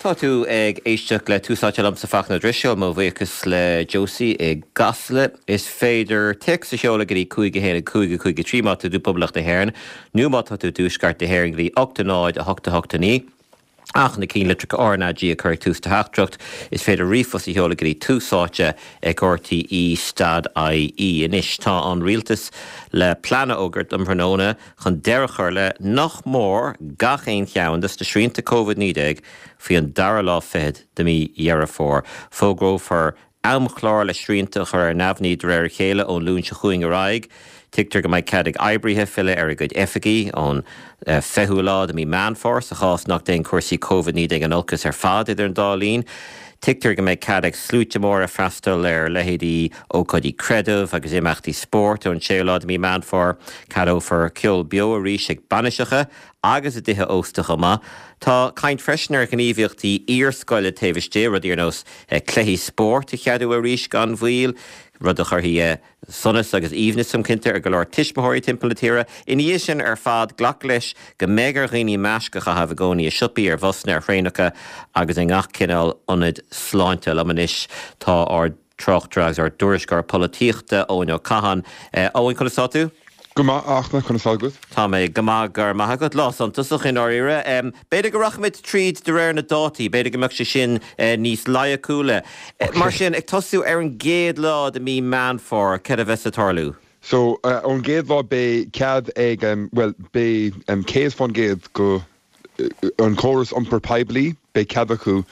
Tá tú ag éisteacht le Tús Áite liomsa Fachtna Ó Drisceoil, mo bhuíochas le Josie i gCasla. Is féidir téacs a sheoladh go dtí 5 1 5 5 3 má tá tú i bPoblacht na hÉireann nó má tá tú i dTuaisceart na hÉireann go dtí 8 0 8 8 9. Ach na ceannlitreacha RnaG a chur ag tús do theachtaireacht, is féidir ríomhphost a sheoladh go dtí túsáite ag rte stad ie. Anois tá an rialtas le plean a fhógairt um thráthnóna chun deireadh a chur le nach mór gach aon cheann de na srianta Covid-19 faoi an dara lá fichead de mhí Dheireadh Fómhair. Fógrófar amchlár le srianta a chur ar neamhní de réir a chéile ón Luan seo chugainn ar aghaidh. Tuigtear go mbeidh cead ag oibrithe filleadh ar a gcuid oifigí ón 20ú lá de mhí Meán Fómhair sa chás nach dtéann cúrsaí Covid-19 in olcas ar fad idir an dá linn. Tuigtear go mbeidh cead ag sluaite móra freastal ar leithéidí ócáidí creidimh agus imeachtaí spóirt ón 6ú lá de mhí Meán Fómhair. Ceadófar ceol beo arís ag bainiseacha agus i dtithe ósta chomh maith. Tá caint freisin ar ghníomhaíochtaí iarscoile taobh istigh, rudaí ar nós cluichí spóirt a cheadú arís gan mhoill, rud a chuirfidh sonas agus aoibhneas, táim cinnte, ar go leor tuismitheoirí timpeall na tíre. Ina dhiaidh sin ar fad, glac leis go mbeidh ar dhaoine maisc a chaitheamh i gcónaí i siopaí, ar bhusanna, ar thraenacha agus i ngach cineál ionaid sláinte. Liom anois tá ár dtráchtaire agus ár dtuairisceoir polaitíochta, Eoin Ó Catháin. Eoin, conas tá tú? Go maith, a Fhachtna, conas tá agat? Tá mé go maith, go raibh maith agat. Lá suntasach i ndáiríre. B'fhéidir go rachaimid tríd de réir na dátaí, b'fhéidir go mbeadh sé sin níos loighciúla. Mar sin, ag tosú ar an gcéad lá de mí Meán Fómhair, céard a bheas ag tarlú? So, ón gcéad lá beidh cead ag, bhuel, beidh 100% go an córas iompair poiblí, beidh cead acu,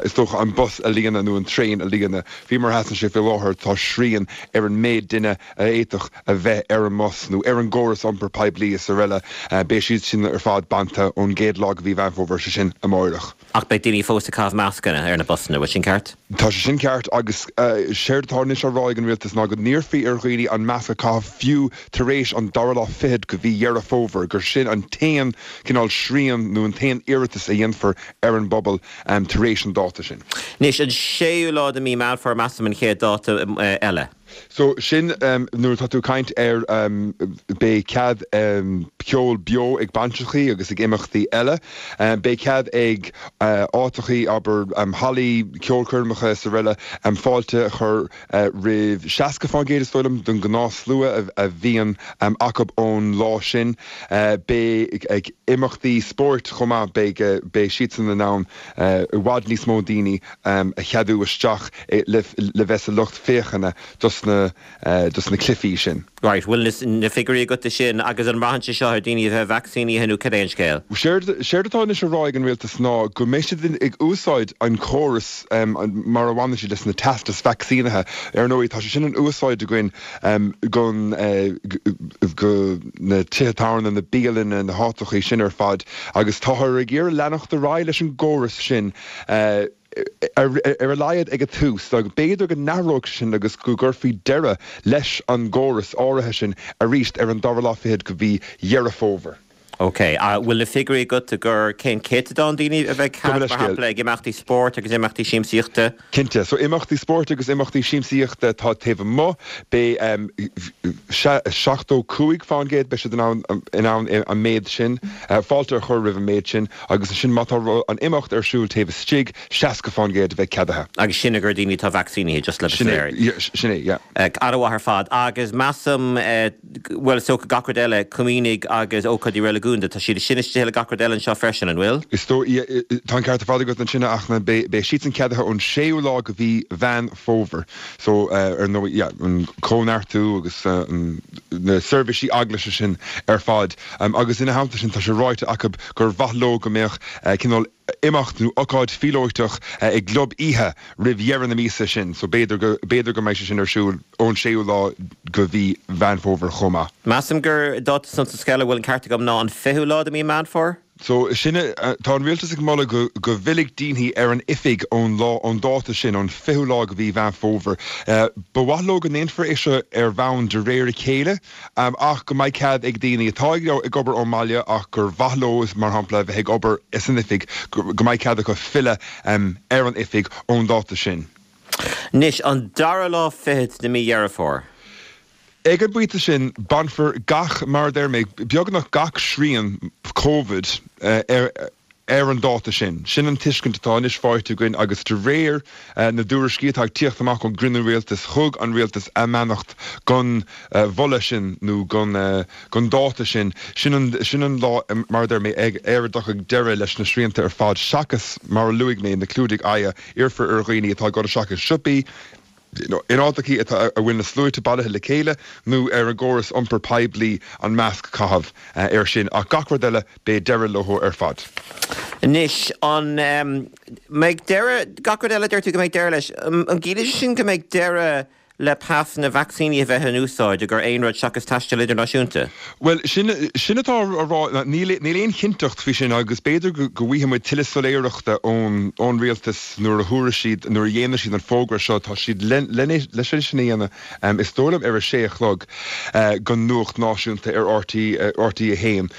is dócha, an bus a líonadh nó an traein a líonadh. Faoi mar a sheasann sé faoi láthair, tá srian ar an méid duine a fhéadfadh a bheith ar an mbus nó ar an gcóras iompair poiblí is araile. Beidh siad sin ar fad bainte ón gcéad lá de mhí Mheán Fómhair, sé sin amáireach. Ach beidh daoine fós ag caitheamh mascanna ar na busanna, bhfuil sin ceart? Tá sé sin ceart agus séard atá anois á rá ag an rialtas ná go n-iarrfaí ar dhaoine an masc a chaitheamh fiú tar éis an dara lá fichead de mhí Dheireadh Fómhair, gur sin an t-aon cineál srian nó an t-aon iarratas a dhéanfar ar an bpobal tar éis an dáta sin. Anois, an séú lá de mhí Meán Fómhair, measaim, an chéad dáta eile. So, sin nuair atá tú ag caint ar beidh cead ceol beo ag bainiseachaí agus ag imeachtaí eile. Beidh cead ag áiteachaí, abair, hallaí ceolchoirmeacha is araile, fáilte a chur roimh 60% is dóigh liom den gnáthshlua a bhíonn acu ón lá sin. Beidh ag imeachtaí spóirt chomh maith, beidh beidh siadsan in ann i bhfad níos mó daoine a cheadú isteach le bheith sa lucht féachana dos na dos na cluichí sin. Right, bhfuil na figiúirí agat de sin agus an mbraitheann sé seo ar daoine a bheith vacsaínithe nó cad é an scéal? Séard séard atá anois á rá ag an rialtas ná go mbeidh siad ag úsáid an córas mar a bhaineann siad leis na teastais vacsaínithe. Ar ndóigh tá sé sin in úsáid againn gon go na tithe tábhairne, na bialanna, na háiteachaí sin ar fad agus táthar ag iarraidh leanacht ar aghaidh leis an gcóras sin ar a laghad ag an tús. B'fhéidir go n-athróidh sé sin agus go gcuirfí deireadh leis an gcóras áirithe sin arís ar an dara lá fichead de mhí Dheireadh Fómhair. Ok. Bhfuil na figiúirí agat gur cén céatadán daoine a bheidh cead, mar shampla, ag imeachtaí spóirt agus imeachtaí siamsaíochta? Cinnte. So imeachtaí spóirt agus imeachtaí siamsaíochta atá taobh amuigh, beidh 75%, beidh siad in ann in ann an méid sin, fáilte a chur roimh an méid sin agus ansin má tá an imeacht ar siúl taobh istigh, 60% a bheidh ceadaithe. Agus sin ag daoine atá vacsaínithe, just le bheith soiléir. Sin é, yeah. An-mhaith ar fad. Agus measaim, bhuel, is dócha gach rud eile, comaoinigh agus ócáidí reiligiúnda, tá siad sin istigh le gach rud eile anseo freisin, an bhfuil? Is dóigh, tá an ceart ar fad agat ansin, a Fhachtna, beidh siadsan ceadaithe ón séú lá de mhí Mheán Fómhair. So, ar ndóigh, yeah, an cóineartú agus na seirbhísí eaglaise sin ar fad. Agus ina theannta sin, tá sé ráite acu gur mhaith leo go mbeadh cineál imeacht nó ocáid phíolóiteach i gclub oíche roimh dheireadh na míosa sin so b'fhéidir go, b'fhéidir go mbeidh sé sin ar siúl ón séú lá de mhí Mheán Fómhair chomh maith. Measaim gur dáta suntasach eile, a bhfuil an ceart agam, ná an fichiú lá de mhí Meán Fómhair? So sin é, tá an rialtas ag moladh go, go bhfillfidh daoine ar an oifig ón lá, ón dáta sin, ón fichiú lá de mhí Mheán Fómhair. Ba mhaith leo go ndéanfar é seo ar bhonn de réir a chéile. ach go mbeidh cead ag daoine atá ag obair ón mbaile ach gur mhaith leo, mar shampla, a bheith ag obair san oifig, go mbeidh cead acu filleadh ar an oifig ón dáta sin. Anois, an dara lá fichead de mí Dheireadh Fómhair. Ag an bpointe sin, bainfear gach, mar a deir mé, beagnach gach srian Covid ar. ar an dáta sin. Sin an tuiscint atá anois faighte againn agus de réir na dtuairiscí atá ag tíocht amach ón gcruinniú rialtais, thug an rialtas a mbeannacht don mholadh sin nó don dáta sin. Sin an sin an lá, mar a deir mé, ar a dtiocfaidh deireadh leis na srianta ar fad seachas, mar a luaigh mé, na clúdaigh aghaidhe. Iarrfar ar dhaoine atá ag dul isteach i siopaí, in áiteachaí atá a bhfuil na sluaite bailithe le chéile nó ar an gcóras iompair poiblí an masc a chaitheamh air sin ach gach rud eile beidh deireadh leo ar fad. Anois, an mbeidh deireadh, gach rud eile, deir tú go mbeidh deireadh leis, an gciallaíonn sé sin go mbeidh deireadh le pasanna vacsaínithe a bheith in úsáid i gcomhair aon rud seachas taisteal idirnáisiúnta? Bhuel, sin, sin atá á rá, níl, níl aon chinnteacht faoi sin agus b'fhéidir go, go bhfaighidh muid tuilleadh soiléireachta ón, ón rialtas nuair a thabharfaidh siad, nuair a dhéanfaidh siad an fógra seo, tá siad le, leis é sin a dhéanamh, is dóigh liom ar a sé a chlog, don nuacht náisiúnta ar RTÉ, RTÉ 1.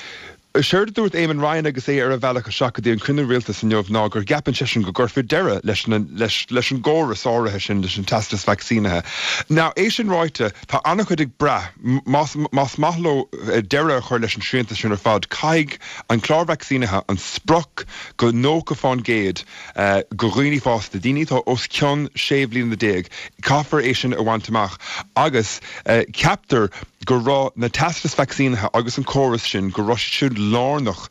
Séard a dúirt Eamon Ryan agus é ar a bhealach isteach go dtí an cruinniú rialtais inniu ná go gceapann seisean go gcuirfear deireadh leis na, leis, leis an gcóras áirithe sin, leis an teastas vacsaínithe. Now, é sin ráite, tá an-chuid ag brath, más, más maith leo deireadh a chur leis an srianta sin ar fad, caithfidh an clár vacsaínithe an sprioc go 90% do dhaoine fásta, daoine atá os cionn 16 bhliana, caithfear é sin a bhaint amach agus ceaptar go raibh na teastais vacsaínithe agus an córas sin, go raibh siad sin lárnach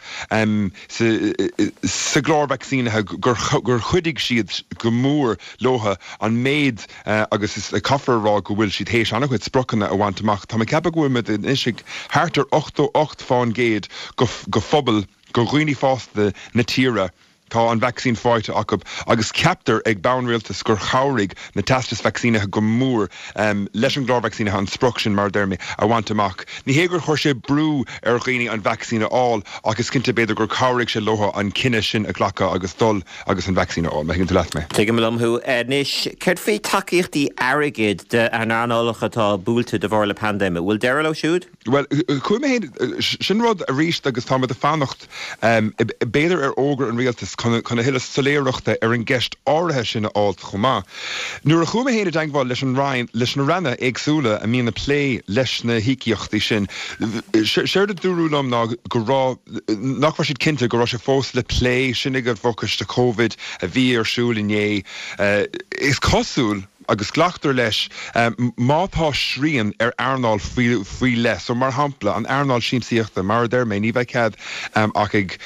sa gclár vacsaínithe, gur chuidigh siad go mór leo an méid agus is caithfear a rá go bhfuil siad théis an-chuid spriocanna a bhaint amach. Tá mé ag ceapadh go bhfuil muid anois ag thart ar 88% de phobal, de dhaoine fásta na tíre. Tá an vacsaín faighte acu agus ceaptar ag bonn rialtais gur chabhraigh na teastais vacsaínithe go mór leis an gclár vacsaínithe an sprioc sin, mar a deir mé, a bhaint amach. Ní hé gur chuir sé brú ar dhaoine an vacsaín a fháil ach is cinnte b'fhéidir gur chabhraigh sé leo an cinneadh sin a ghlacadh agus dul agus an vacsaín a fháil, má thuigeann tú leat mé. Tuigim liom thú. Anois, céard faoi tacaíochtaí airgid d'earnálacha atá buailte de bharr na paindéime? Bhfuil deireadh leo siúd? Bhuel, chuaigh mé féin, sin rud arís agus táimid ag fanacht b'fhéidir ar fhógra an rialtais chun a thuilleadh soiléireachta ar an gceist áirithe sin a fháilt chomh maith. Nuair a chuaigh mé féin i dteagmháil leis an Roinn, leis na ranna éagsúla a mbíonn ag plé leis na híocaíochtaí sin, séard a dúradh liom ná go raibh, nach raibh siad cinnte, go raibh sé fós le plé, sin ag an bhfochoiste Covid a bhí ar siúl inné. Is cosúil. agus glactar leis má tá srian ar earnáil faoi leith, so mar shampla an earnáil siamsaíochta, mar a deir mé, ní bheidh cead ach ag,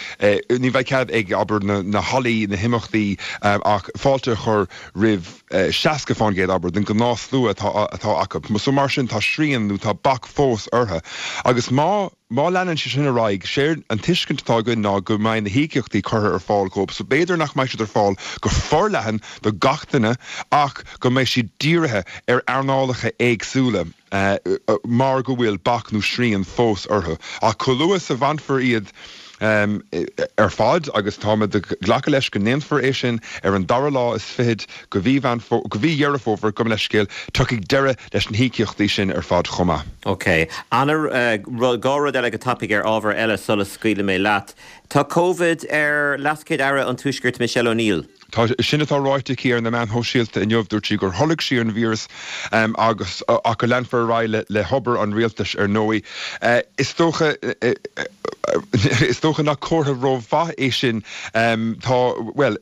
ní bheidh cead ag, abair, na hallaí, na himeachtaí ach fáilte a chur roimh 60%, abair, den ghnáthshlua atá acu. So mar sin tá srian nó tá bac fós orthu agus má. Má leanann sé sin ar aghaidh, séard an tuiscint atá againn ná go mbeidh na híocaíochtaí curtha ar fáil dhóibh, so b'fhéidir nach mbeidh siad ar fáil go forleathan do gach duine ach go mbeidh siad dírithe ar earnálacha éagsúla mar go bhfuil bac nó srian fós orthu. Ach chomh luath is a bhainfear iad ar fad, agus táimid ag glacadh leis go ndéanfar é sin ar an dara lá is fichead go mhí Mheán go mhí Dheireadh Fómhair, gabh mo leithscéal, tiocfaidh deireadh leis na híocaíochtaí sin ar fad chomh maith. Ok. Ana, dhá rud eile go tapaidh ar ábhar eile sula scaoilfidh mé leat. Tá Covid ar LeasChéad-Aire an Tuaiscirt Michelle O'Neill. Tá, sin atá ráite aici ar na meáin shóisialta inniu. Dúirt sí gur tholg sí an víreas agus ach go leanfar ar aghaidh le hobair an rialtais ar ndóigh. Is dócha is dócha nach comhartha rómhaith é sin. Tá, bhuel,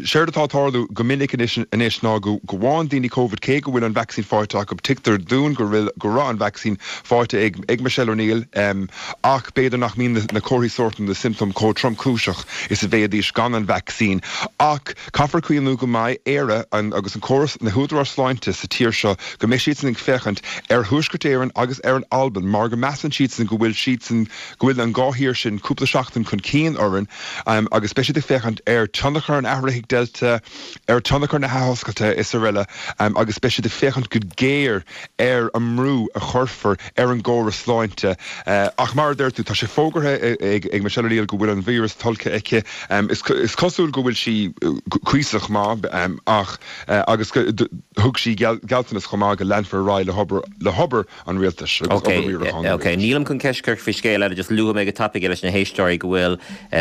Séard atá ag tarlú go minic anois anois ná go bhfaigheann daoine Covid cé go bhfuil an vacsaín faighte acu. Tuigtear dúinn go bhfuil go raibh an vacsaín faighte ag ag Michelle O'Neill ach b'fhéidir nach mbíonn na comharthaí sóirt nó na siomptóim chomh tromchúiseach is a bheidís gan an vacsaín. Ach caithfear cuimhniú go mbeidh Éire an agus an córas na húdaráis sláinte sa tír seo go mbeidh siadsan ag féachaint ar Thuaisceart Éireann agus ar an Albain mar go measann siadsan go bhfuil siadsan go bhfuil an dhá thír sin cúpla seachtain chun cinn orainn agus beidh siad ag féachaint ar tionchar an athraithigh Delta, ar tionchar na hathoscailte is araile agus beidh siad ag féachaint go géar ar an mbrú a chuirfear ar an gcóras sláinte. Ach mar a deir tú, tá sé fógartha ag Michelle O'Neill go bhfuil an víreas tolgtha aici. Is cosúil go bhfuil sí cuíosach maith ach agus thug sí gealltanas chomh maith go leanfar ar aghaidh le hobair an rialtais agus obair riaracháin an Ok, rialtais. nílim chun ceist a chur faoi scéal eile, just luafaidh mé go tapaidh leis na héisteoirí go bhfuil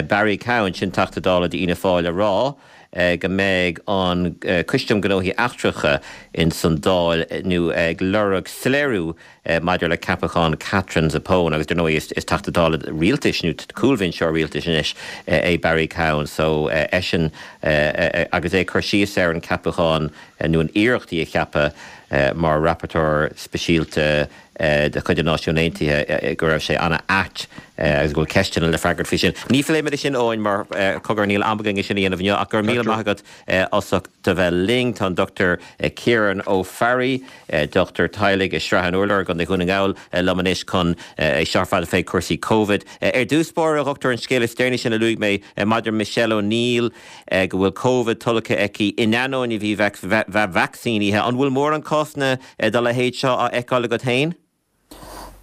Barry Cowen, sin Teachta Dála d'Fhianna Fáil, ag rá. go mbeidh an Coiste um Ghnóthaí Eachtracha ins an Dáil nó ag lorg soiléiriú maidir le ceapachán Katherine Zappone agus dar ndóigh is Teachta Dála rialtais nó cúlbhinseoir rialtais anois é Barry Cowen so eisean agus é ag cur síos ar an ceapachán nó an iarracht í a cheapadh mar rapporteur speisialta de chuid na Náisiún Aontaithe go raibh sé an-ait agus go bhfuil ceisteanna le freagairt faoi sin. Ní phléimid é sin, Eoin, mar cogar níl am againn é sin a dhéanamh inniu ach go raibh míle maith agat as ucht a bheith linn. Tá an Dr Ciarán Ó Fearraigh, dochtúir teaghlaigh i Srath an Urláir i gContae Dhún na nGall liom anois chun é seo ar fad a phlé cúrsaí Covid. Ar dtús báire, a dhochtúir, an scéal is deireanaí sin a luaigh mé maidir Michelle O'Neill go bhfuil Covid tolgtha aici in ainneoin a bheith vacsaínithe. An bhfuil mórán cásanna dá leithéid seo á fheiceáil agat féin?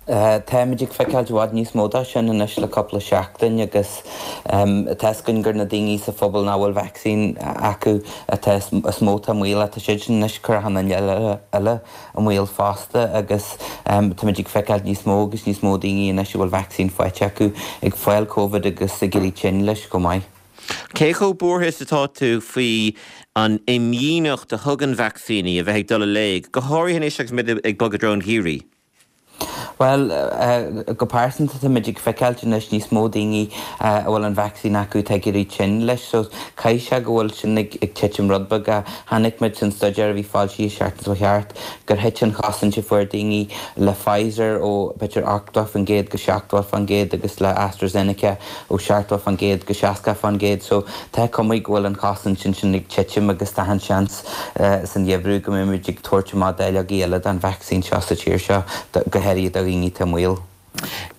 Táimid ag feiceáil i bhfad níos mó de sin anois le cúpla seachtain agus tá fhios againn gur na daoine sa phobal nach bhfuil vacsaín acu atá is mó atá i mbaol ach tá siad sin anois ag cur achan duine eile i mbaol fosta agus táimid ag feiceáil níos mó agus níos mó daoine anois a bhfuil vacsaín faighte acu ag fáil Covid agus ag éirí tinn leis chomh maith. Cé chomh buartha is atá tú faoi an imdhíonacht a thugann vacsaíní a bheith ag dul i léig, go háirithe anois agus muid ag bogadh i dtreo an gheimhridh? Bhuel, go pearsanta táimid ag feiceáilt anois níos mó daoine a bhfuil an vacsaín acu atá ag éirí tinn leis, so caithfidh sé go bhfuil sin ag titim rud beag. Chonaic muid san staidéar a bhí foilsithe seachtain seo thart gur thit an chosaint a fuair daoine le Pfizer ó b'fhéidir 80% go 70% agus le AstraZeneca ó 70% go 60% so tá cuma go bhfuil an chosaint ansin ag titim agus tá an seans san gheimhreadh go mbeimid ag tabhairt amach dáileogaí eile den vacsaín seo sa tír seo, go háirithe do dhaoine atá i mbaol.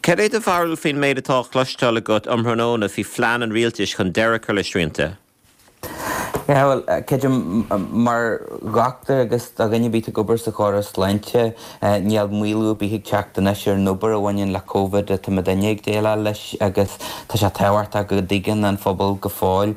Cad é do bharúil faoin méid atá á chloisteáil agat um thráthnóna faoi phlean an rialtais chun deireadh a chur le srianta? Yeah, bhuel, creidim, mar dhochtúir agus do dhuine ar bith atá ag obair sa chóras sláinte, níl maolú ar bith ag teacht anois ar an obair a bhaineann le Covid atá muidinne ag déileáil leis agus tá sé tábhachtach go dtuigeann an phobal go fóill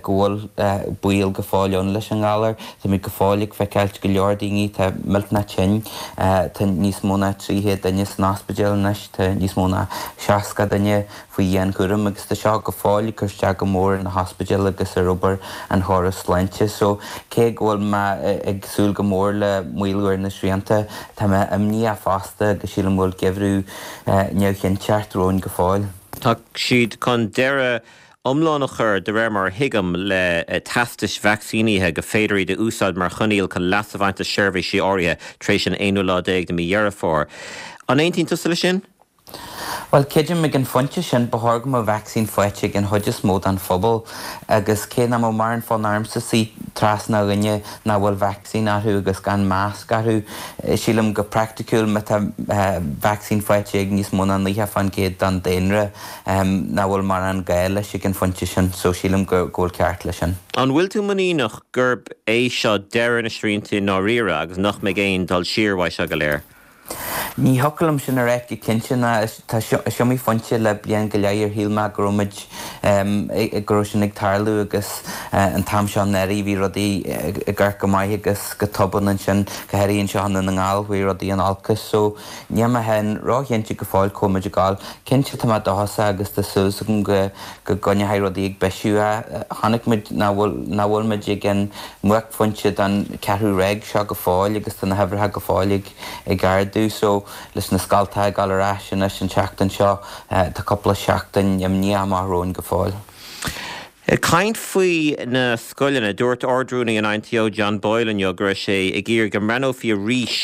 go bhfuil baol go fóill ann leis an ngalar. Táimid go fóill ag feiceáilt go leor daoine atá millteanach tinn, tá níos mó ná 300 duine san ospidéal anois, tá níos mó ná 60 duine faoi dhianchúram agus tá seo go fóill ag cur isteach go mór ar na hospidéil agus ar obair an chórais sláinte. So, cé go bhfuil mé ag súil go mór le maolú ar na srianta, tá mé imníoch fosta agus sílim go bhfuil geimhreadh neamhchinnteacht romhainn go fóill. Tá siad chun deireadh iomlán a chur, de réir mar a thuigim, le teastais vacsaínithe go féidir iad a úsáid mar choinníoll chun leas a bhaint as seirbhísí áirithe tar éis an aonú lá déag de mhí Dheireadh Fómhair. An aontaíonn tusa leis sin? Bhuel, creidim ag an phointe sin, ba chóir go mbeadh vacsaín faighte ag an chuid is mó den phobal agus cé nach mbeadh mórán fonn ormsa suí trasna dhuine nach bhfuil vacsaín orthu agus gan masc orthu, sílim go praiticiúil má tá vacsaín faighte ag níos mó ná 90% den daonra, nach bhfuil mórán gá leis ag an phointe sin, so sílim go bhfuil ceart leis sin. An bhfuil tú muiníneach gurb é seo deireadh na srianta i ndáiríre agus nach mbeidh aon dul siar uaidh seo go léir? Ní thiocfadh liom sin a ráit go cinnte ná tá is iomaí phointe le bliain go leith ar shíl mé go raibh muid, go raibh sin ag tarlú agus an t-am seo anuraidh bhí rudaí ag amharc go maith agus go tobann ansin, go háirithe anseo i nDún na nGall, chuaigh rudaí in olcas. So níl mé féin róchinnte go fóill cá bhfuil muid ag gabháil. Cinnte tá mé dóchasach agus tá súil agam go go gcoinneoidh rudaí ag bisiú. Chonaic muid nach bhfuil nach bhfuil muid ag an mbuaicphointe den cheathrú ráig seo go fóill agus tá na huimhreacha go fóill ag ag ardú so leis na scoltacha ag dul ar ais anois an tseachtain seo tá cúpla seachtain imníoch amach romhainn go fóill. Ag caint faoi na scoileanna, dúirt Ard-Rúnaí an INTO John Boyle inniu go raibh sé ag iarraidh go mbreathnófaí arís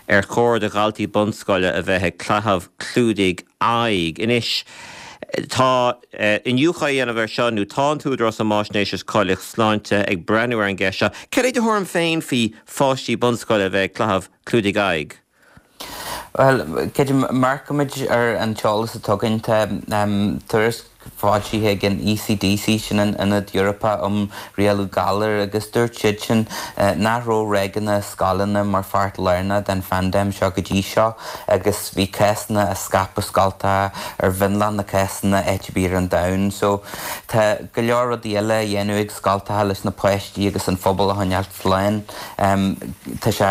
ar chóir do dhaltaí bunscoile a bheith ag caitheamh clúdaigh aghaidh. Anois tá iniúchadh á dhéanamh air seo nó tá an tÚdarás um Fháisnéis agus Cáilíocht Sláinte ag breathnú ar an gceist seo. Cad é do thuairim féin faoi pháistí bunscoile a bheith ag caitheamh clúdaigh aghaidh? Bhuel, creidim, amharcaimid ar an t-eolas atá againn. Tá tuairisc foilsithe ag an ECDC, sin an Ionad Eorpach um Rialú Galar, agus dúirt siadsan nach raibh ráigeanna i scoileanna mar pháirt lárnach den phaindéim seo go dtí seo agus bhí cásanna á scaipeadh scoltacha ar mhionlach na cásanna áit ar bith ar an domhan. So, tá go leor rudaí eile á dhéanamh ag scoltacha leis na páistí agus an phobal a choinneáilt slán. Tá sé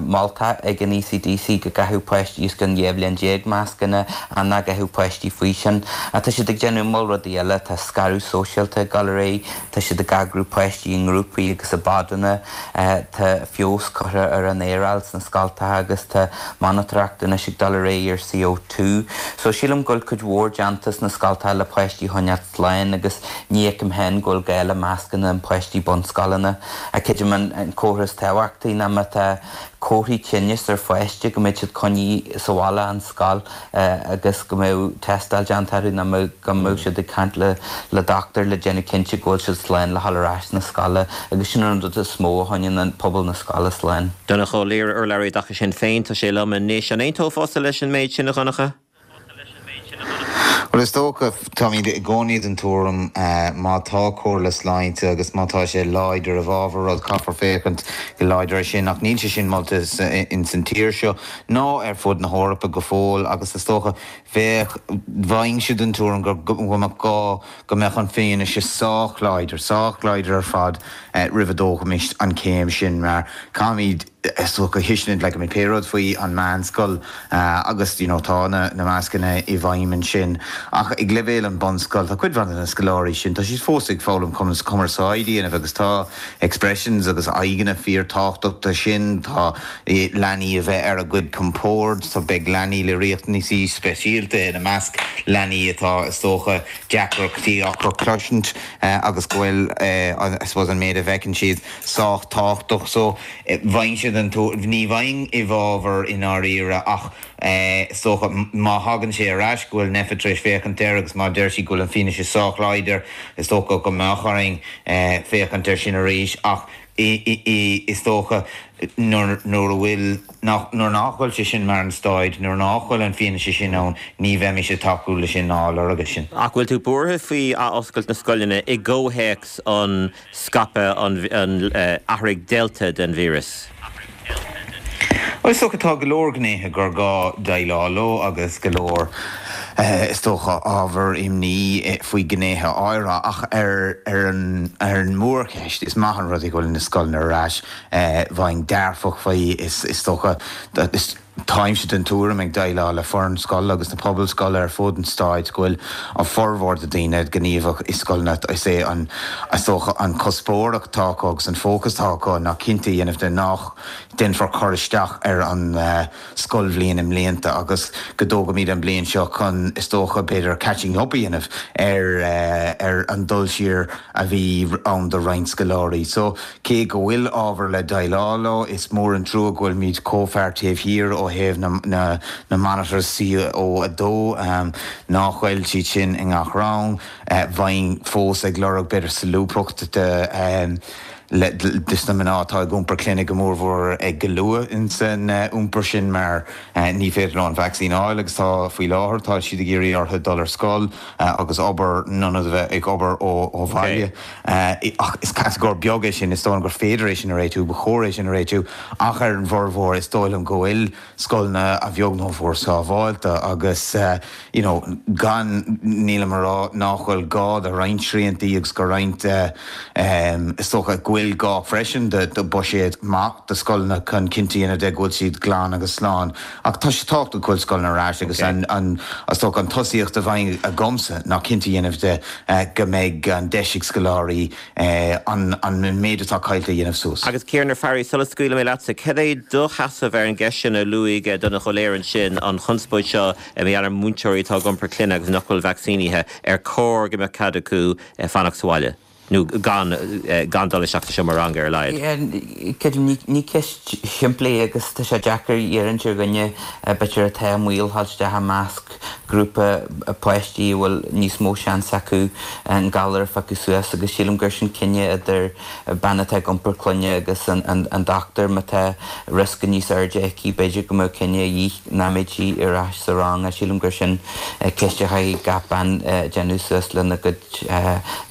molta ag an ECDC go gcaithfeadh páistí os cionn 12 bhliain mascanna ach nach gcaithfeadh páistí faoi sin. Ach tá siad ag déanamh. mhol rudaí eile, tá scaradh sóisialta ag dul ar aghaidh, tá siad ag eagrú páistí i ngrúpaí agus i bpodanna, tá feabhas curtha ar an aeráil sna scoltacha agus tá monatóireacht anois ag dul ar aghaidh ar CO2. So sílim go bhfuil cuid mhór déanta sna scoltacha le páistí a choinneáil slán agus ní fheicim féin go bhfuil gá le mascanna an páistí bunscoileanna. Ach creidim an comhartha is tábhachtaí ná má tá comharthaí tinnis ar pháiste go mbeidh siad coinnithe sa bhaile ón scoil agus go mbeadh tástáil déanta orthu nó go mbeadh siad ag caint le le dochtúir le déanamh cinnte go bhfuil siad slán le dhul ar ais na scoile agus sin an rud is mó a choinníonn an pobal na scoile slán. Donncha Ó Laoghaire, urlabhraí i dtaca Sinn Féin, tá sé liom anois. An aontófása leis an méid sin, a Dhonncha? Bhuel, is dócha, táimid i gcónaí den tuairim má tá comhairle sláinte agus má tá sé láidir i bhfabhar rud, caithfear féachaint go láidir air sin. Ach níl sé sin molta ins an tír seo ná ar fud na hEorpa go fóill agus is dócha, bheadh, bheinnse den tuairim go mbeadh gá go mbeadh an fianaise sách láidir, sách láidir ar fad roimh a dtógfaimis an chéim sin mar caithfimid, is dócha tuiscint like I mean pé rud faoi an meánscoil agus you know tá na na mascanna i bhfeidhm ansin ach ag leibhéal an bunscoil tá cuid mhaith de na scoláirí sin tá siad fós ag foghlaim conas cumarsáid a dhéanamh agus tá expressions agus aghaidheanna fíor tábhachtach do sin tá leanaí a bheith ar a gcuid compord tá beidh leanaí le riachtanaisí speisialta ina measc leanaí atá is dócha deacrachtaí acu cloisint agus go bhfuil I suppose an méid a bhfeiceann siad sách tábhachtach so Bheinnse den tuairim, ní bheinn i bhfabhar i ndáiríre ach is dócha má thagann sé ar ais go bhfuil Nphet tar éis féachaint air agus má deir siad go bhfuil an fianaise sách láidir is dócha go mbeadh orainn féachaint air sin arís ach is dócha nuair a bhfuil, nuair nach bhfuil sé sin mar an staid, nuair nach bhfuil an fianaise sin ann ní bheimis ag tacú leis sin ná ag lorg é sin. Ach bhfuil tú buartha faoi athoscailt na scoileanna i gcomhthéacs an scaipeadh an athraigh Delta den víreas. Bhuel, is dócha tá go leor gnéithe gur gá déileáil leo agus go leor, is dócha, ábhar imní faoi ghnéithe áirithe ach ar an ar an mórcheist, is maith an rud é go bhfuil na scoileanna ar ais. Bheinn dearfach faoi, is dócha. Táimse den tuairim, ag déileáil le foireann scoile agus na pobail scoile ar fud an stáit, go bhfuil an formhór de daoine gníomhach i scoileanna. Is é an, is dócha, an cuspóireacht atá acu agus an fócas atá acu ná cinnte a dhéanamh de nach déanfar cur isteach ar an scoilbhliain i mblianta agus go dtógfaimid an bliain seo chun, is dócha, b'fhéidir catching up a dhéanamh ar ar an dul siar a bhí ann do roinnt scoláirí. So. Cé go bhfuil ábhar le déileáil leo, is mór an trua go bhfuilimid chomh far taobh thiar ó thaobh na monitors CO2, nach bhfuil siad sin i ngach rang. Bheinn fós ag lorg b'fhéidir solúbthacht dos na mná atá ag iompar clainne go mórmhór ag go luath insan iompar sin mar ní féidir leo an vacsaín a fháil agus tá faoi láthair tá siad ag iarraidh orthu dul ar scoil agus obair in ionad a bheith ag obair ó bhaile. Ach is catagóir beag é sin, is dóigh liom gur féidir é sin a réitiú, ba chóir é sin a réitiú, ach ar an bhformhór is dóigh liom go bhfuil scoileanna a bheag nó a mhór sábháilte agus you know gan, nílim a rá nach bhfuil gá do roinnt sriantaí agus go roinnt is dócha go bhfuil gá freisin do buiséad maith do scoileanna chun cinnte a dhéanamh de go bhfuil siad glan agus slán ach tá sé tábhachtach go bhfuil scoileanna ar ais agus an is dócha an tosaíocht a bheidh agamsa ná cinnte a dhéanamh de go mbeidh an deis ag scoláirí an méid atá caillte a dhéanamh suas. Agus Ciaran Ó Fearraigh, sula scaoilfidh mé leatsa, cad é do sheasamh ar an gceist sin a luaigh Donncha Ó Laoghaire ansin, an chonspóid seo mar gheall ar mhúinteoirí atá ag iompar clainne agus nach bhfuil vacsaínithe, ar chóir go mbeadh cead acu fanacht sa bhaile? Nó gan gan dul isteach sa seomra ranga ar a laghad. Creidim, ní ceist shimplí agus tá sé deacair iarraint ar dhuine b'fhéidir atá i mbaol dhul isteach i measc grúpa páistí a bhfuil níos mó seans acu an galar a phiocadh suas agus sílim gur sin cinneadh idir bean atá ag iompar clainne agus an dochtúir má tá riosca níos airde aici b'fhéidir go mbeadh cinneadh a dhíth nach mbeadh sí ar ais sa rang. Sílim gur sin ceist a chaithfidh gach bean déanamh suas lena gcuid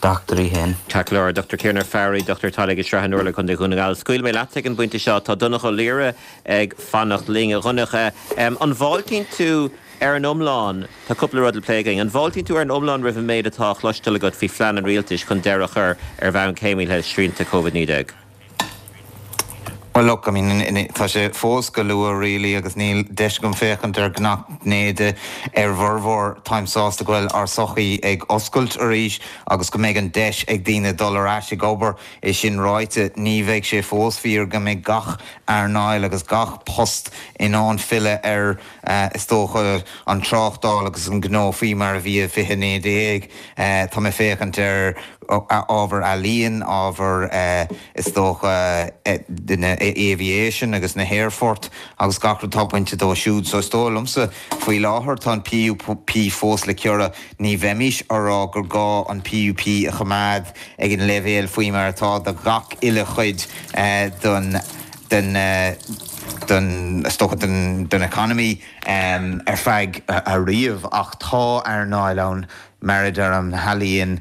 dochtúirí féin. Ceart go leor, Dr Ciaran Ó Fearraigh, Dochtúir Teaghlaigh i Srath an Urláir, Co. Dhún na nGall. Scaoilfidh mé leat ag an bpointe seo. Tá Donncha Ó Laoghaire ag fanacht linn. A Dhonncha, an bhfáiltíonn tú ar an iomlán, tá cúpla rud le plé againn, an bhfáiltíonn tú ar an iomlán roimh an méid atá á chloisteáil agat faoi phlean an rialtais chun deireadh a chur ar bhonn céimnithe le srianta Covid-19? Well look, I mean, tá sé fós go luath really agus níl deis agam féachaint ar gach gné de. Ar bhformhór, táim sásta go bhfuil ár sochaí ag oscailt arís agus go mbeidh an deis ag daoine dul ar ais ag obair. É sin ráite, ní bheidh sé fós fíor go mbeidh gach earnáil agus gach post in ann filleadh ar, is dócha, an tráchtáil agus an gnó faoi mar a bhí i 2019. Tá mé ag féachaint ar ábhar ealaíon, ábhar, is dócha, na aviation agus na haerfoirt agus gach rud atá bainte dó siúd. So is dóigh liomsa, faoi láthair, tá an PUP fós le ciorrú. Ní bheimis á rá gur gá an PUP a choimeád ag an leibhéal faoi mar atá do gach uile chuid den, den, den, is dócha, den, den economy ar feadh ariamh ach tá earnáil ann, mar a deirim, na healaíon,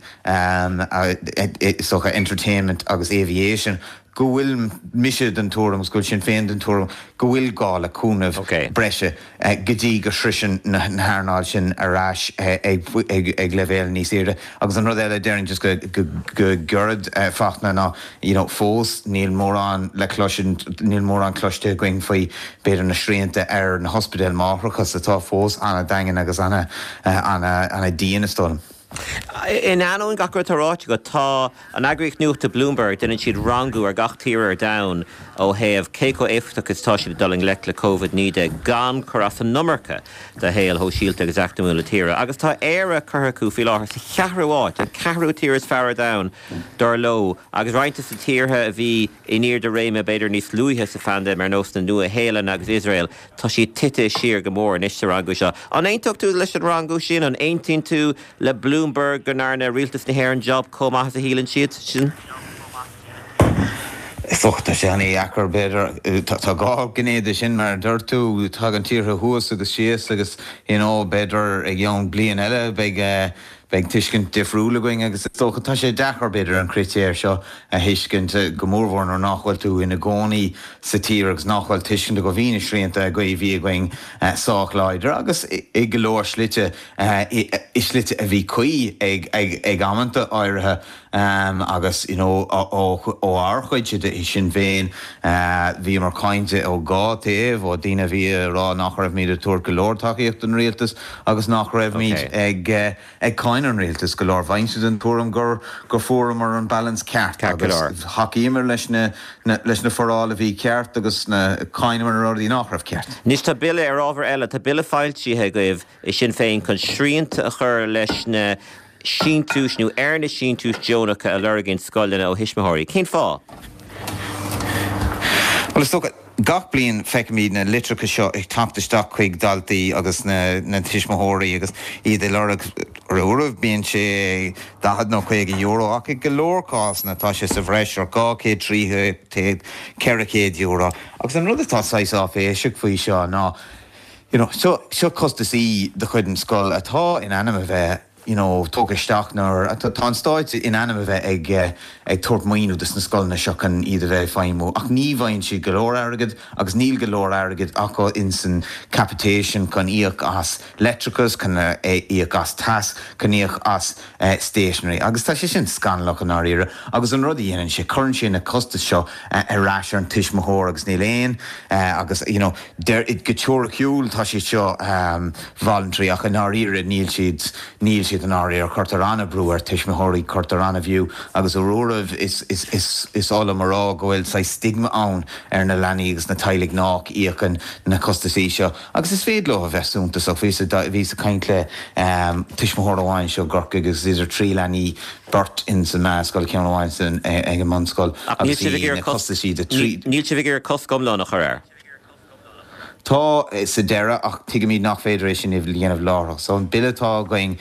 is dócha entertainment agus aviation, go bhfuil mise den tuairim agus go bhfuil Sinn Féin den tuairim go bhfuil gá le cúnamh breise go dtí go sroiseann na hearnáil sin ar ais ag leibhéal níos airde. Agus an rud eile a déarfainn just go gairid, Fachtna, ná you know fós níl mórán le cloisint, níl mórán cloiste againn faoi b'fhéidir na srianta ar na hospidéil máithreachais atá fós an-daingean agus ana-dian is dóigh liom. In ainneoin gach rud atá ráite agat, tá an eagraíocht nuachta Bloomberg, déanann siad rangú ar gach tír ar domhan ó thaobh cé chomh éifeachtach is atá siad ag dul i ngleic le Covid-19 gan cur as an iomarca do shaol shóisialta agus eacnamúil na tíre. Agus tá Éire curtha acu faoi láthair sa cheathrú háit, an ceathrú tír is fearr ar domhan, dar leo, agus roinnt de na tíortha a bhí in airde réime b'fhéidir níos luaithe sa phaindéim ar nós na Nua-Shéalainne agus Iosrael, Tá siad tite siar go mór anois sa rangú seo. An aontódh tú leis an rangú sin? An aontaíonn tú le Bloomberg go ndearna rialtas na hÉireann job chomh maith is a shíleann siad sin? Is dócha, tá sé an-dheacair, b'fhéidir. Tá dhá ghné de sin, mar a dúirt tú, tagann tíortha thuas agus síos agus, you know, b'fhéidir i gceann bliain eile beidh, Beidh tuiscint difriúil againn agus is dócha tá sé deacair b'fhéidir an critéar seo a thuiscint, go mórmhór nuair nach bhfuil tú ina gcónaí sa tír agus nach bhfuil tuiscint agat. Bhí na srianta a bhí againn sách láidir agus i go leor slite, i slite a bhí cuí ag ag amanta áirithe agus you know ó ár chuidse de i Sinn Féin bhíomar cáinte ó dhá taobh, ó daoine a bhí ag rá nach raibhimid ag tabhairt go leor tacaíocht don rialtas agus nach raibhimid ag ag cáineadh an rialtais go leor. Bheinnse den tuairim gur gur fuaireamar an balance ceart agus thacaíomar leis na leis na foráil a bhí ceart agus cháineamar na rudaí nach raibh ceart. Anois tá bille, ar ábhar eile, tá bille foilsithe agaibh i Sinn Féin chun srianta a chur leis na síntiúis nó ar na síntiúis deonacha a lorgaíonn scoileanna ó thuismitheoirí. Cén fáth? Bhuel, is dócha, gach bliain feicimid na litreacha seo ag teacht isteach chuig daltaí agus na tuismitheoirí agus iad ag lorg, ar uairibh bíonn sé €40 nó €50 ach i go leor cásanna tá sé sa bhreis ar 200, 300, €400. Agus an rud atá saghas áiféiseach faoi seo ná, you know, seo, seo costasaí de chuid an scoil atá in ainm a bheith, you know, tógtha isteach nuair tá an stáit in ainm a bheith ag ag tabhairt maoiniú dos na scoileanna seo chun iad a bheith ag feidhmiú ach ní bhfaigheann siad go leor airgid agus níl go leor airgid acu ins an capitation chun íoc as leictreachas, chun íoc as teas, chun íoc as stationery agus tá sé sin scannalach i ndáiríre agus an rud a dhéanann sé, cuireann sé na costais seo ar ais ar an tuismitheoir agus níl aon agus you know deir go teoiriciúil tá siad seo voluntary ach i ndáiríre níl siad, níl siad i ndáiríre. Cuirtear an-bhrú ar tuismitheoirí, cuirtear an-bhrú agus ar uairibh is, is, is, is oth liom a rá go bhfuil saghas stigma ann ar na leanaí agus na teaghlaigh nách íocann na costasaí seo agus is féidir leo a bheith suntasach. Bhíos ag, bhíos ag caint le tuismitheoir amháin anseo i gCorcaigh agus idir trí leanaí, beirt ins an meánscoil, ceann amháin san, ag an mbunscoil agus bhí na costasaí de trí. Níl sibh ag iarraidh cosc iomlán a chur air? Tá, sa deireadh, ach tuigimid nach féidir é sin a dhéanamh láithreach. So an bille atá againn,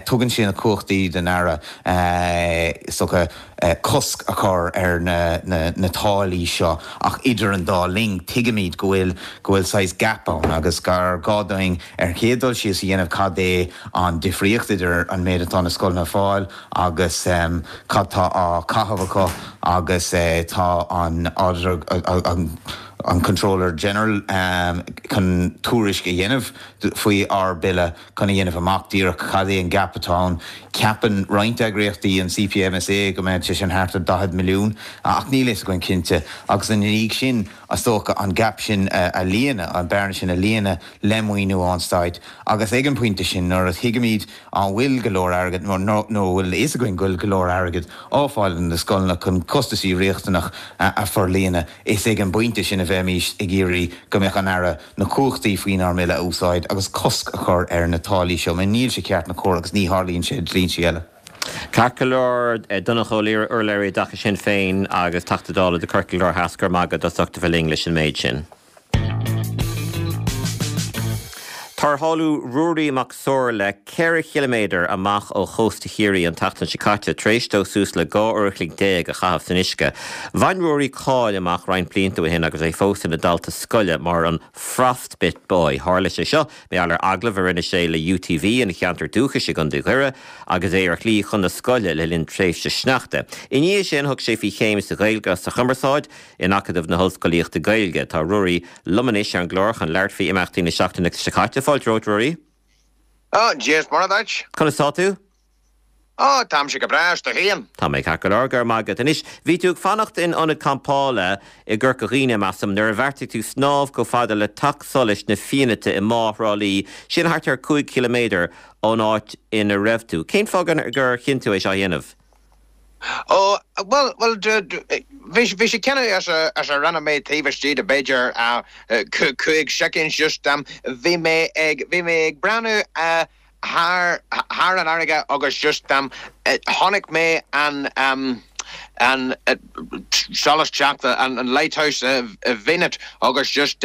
tugann sé na cumhachtaí don Aire, is dócha, cosc a chur ar na táillí seo ach idir an dá linn, tuigimid go bhfuil, go bhfuil saghas gap ann agus gur gá dúinn ar an chéad dul síos a dhéanamh cad é an difríocht idir an méid atá na scoileanna ag fáil agus cad tá á chaitheamh acu agus tá an auditor, an. an Comptroller General chun tuairisc a dhéanamh faoi ár bille chun a dhéanamh amach díreach cad é an gap atá ann. Ceapann roinnt eagraíochtaí, an CPMSA, go mbeadh sé sin thart ar 40 milliún ach níl a fhios againn cinnte. Agus ina dhiaidh sin, is dócha, an gap sin a líonadh, an bearna sin a líonadh le maoiniú ón Stát. Agus ag an bpointe sin, nuair a thuigimid an bhfuil go leor airgid, nó nuair a bhfuil a fhios againn go bhfuil go leor airgid á fáil ag na scoileanna chun costaisí riachtanach a forlíonadh, is ag an bpointe sin a bheimís ag iarraidh go mbeadh an Aire na cumhachtaí faoinár mBille a úsáid agus cosc a chur ar na táillí seo mar níl sé ceart ná cóir agus ní tharlaíonn sé i dlínsí eile. Ceart go leor, Donnchadh Ó Laoghaire, urlabhraí i dtaca Sinn Féin agus Teachta Dála do Corcaigh Láir Theas, go raibh maith agat as ucht a bheith linn leis an méid sin. Tarrtháladh Ruairí Mac Somhairle 4 chiliméadar amach ó chósta Chiarraí an tseachtain seo caite tar éis dó suas le 12 uair a chloig a chaitheamh san uisce. Bhain Ruairí cáil amach roinnt blianta ó shin agus é fós ina dhalta scoile mar an 'Frostbite Boy'. Tharla sé seo mar gheall ar agallamh a rinne sé le UTV ina cheantar dúchais i gContae Dhoire agus é ar shlí chun na scoile le linn tréimhse sneachta. I ndiaidh sin thug sé faoi chéim sa Ghaeilge agus sa Chumarsáid in Acadamh na hOllscolaíochta Gaeilge. Tá Ruairí liom anois ar an gclár chun labhairt faoi imeachtaí na seachtaine seo caite. Fáilte romhat, Ruairí. Ó, Dia is Muire duit. Conas tá tú? Ó, táimse go breá, is tú féin? Tá mé ceart go leor, go raibh maith agat. Anois, bhí tú ag fanacht in ionad campála i gCorca Dhuibhne, measaim, nuair a bheartaigh tú snámh chomh fada le Teach Solais na Fiannaite i mBá Thrá Lí, sin thart ar 5 chiliméadar ón áit ina raibh tú. Cén fáth gur chinn tú é seo a dhéanamh? Ó, bhuel, bhuel, bhí, bhí sé cinneadh as a, as a rinne mé taobh istigh de b'fhéidir 5 soicind, just, bhí mé ag, bhí mé ag breathnú thar, thar an fharraige agus just, chonaic mé an, an solas teach, an lighthouse i bhFianait agus just,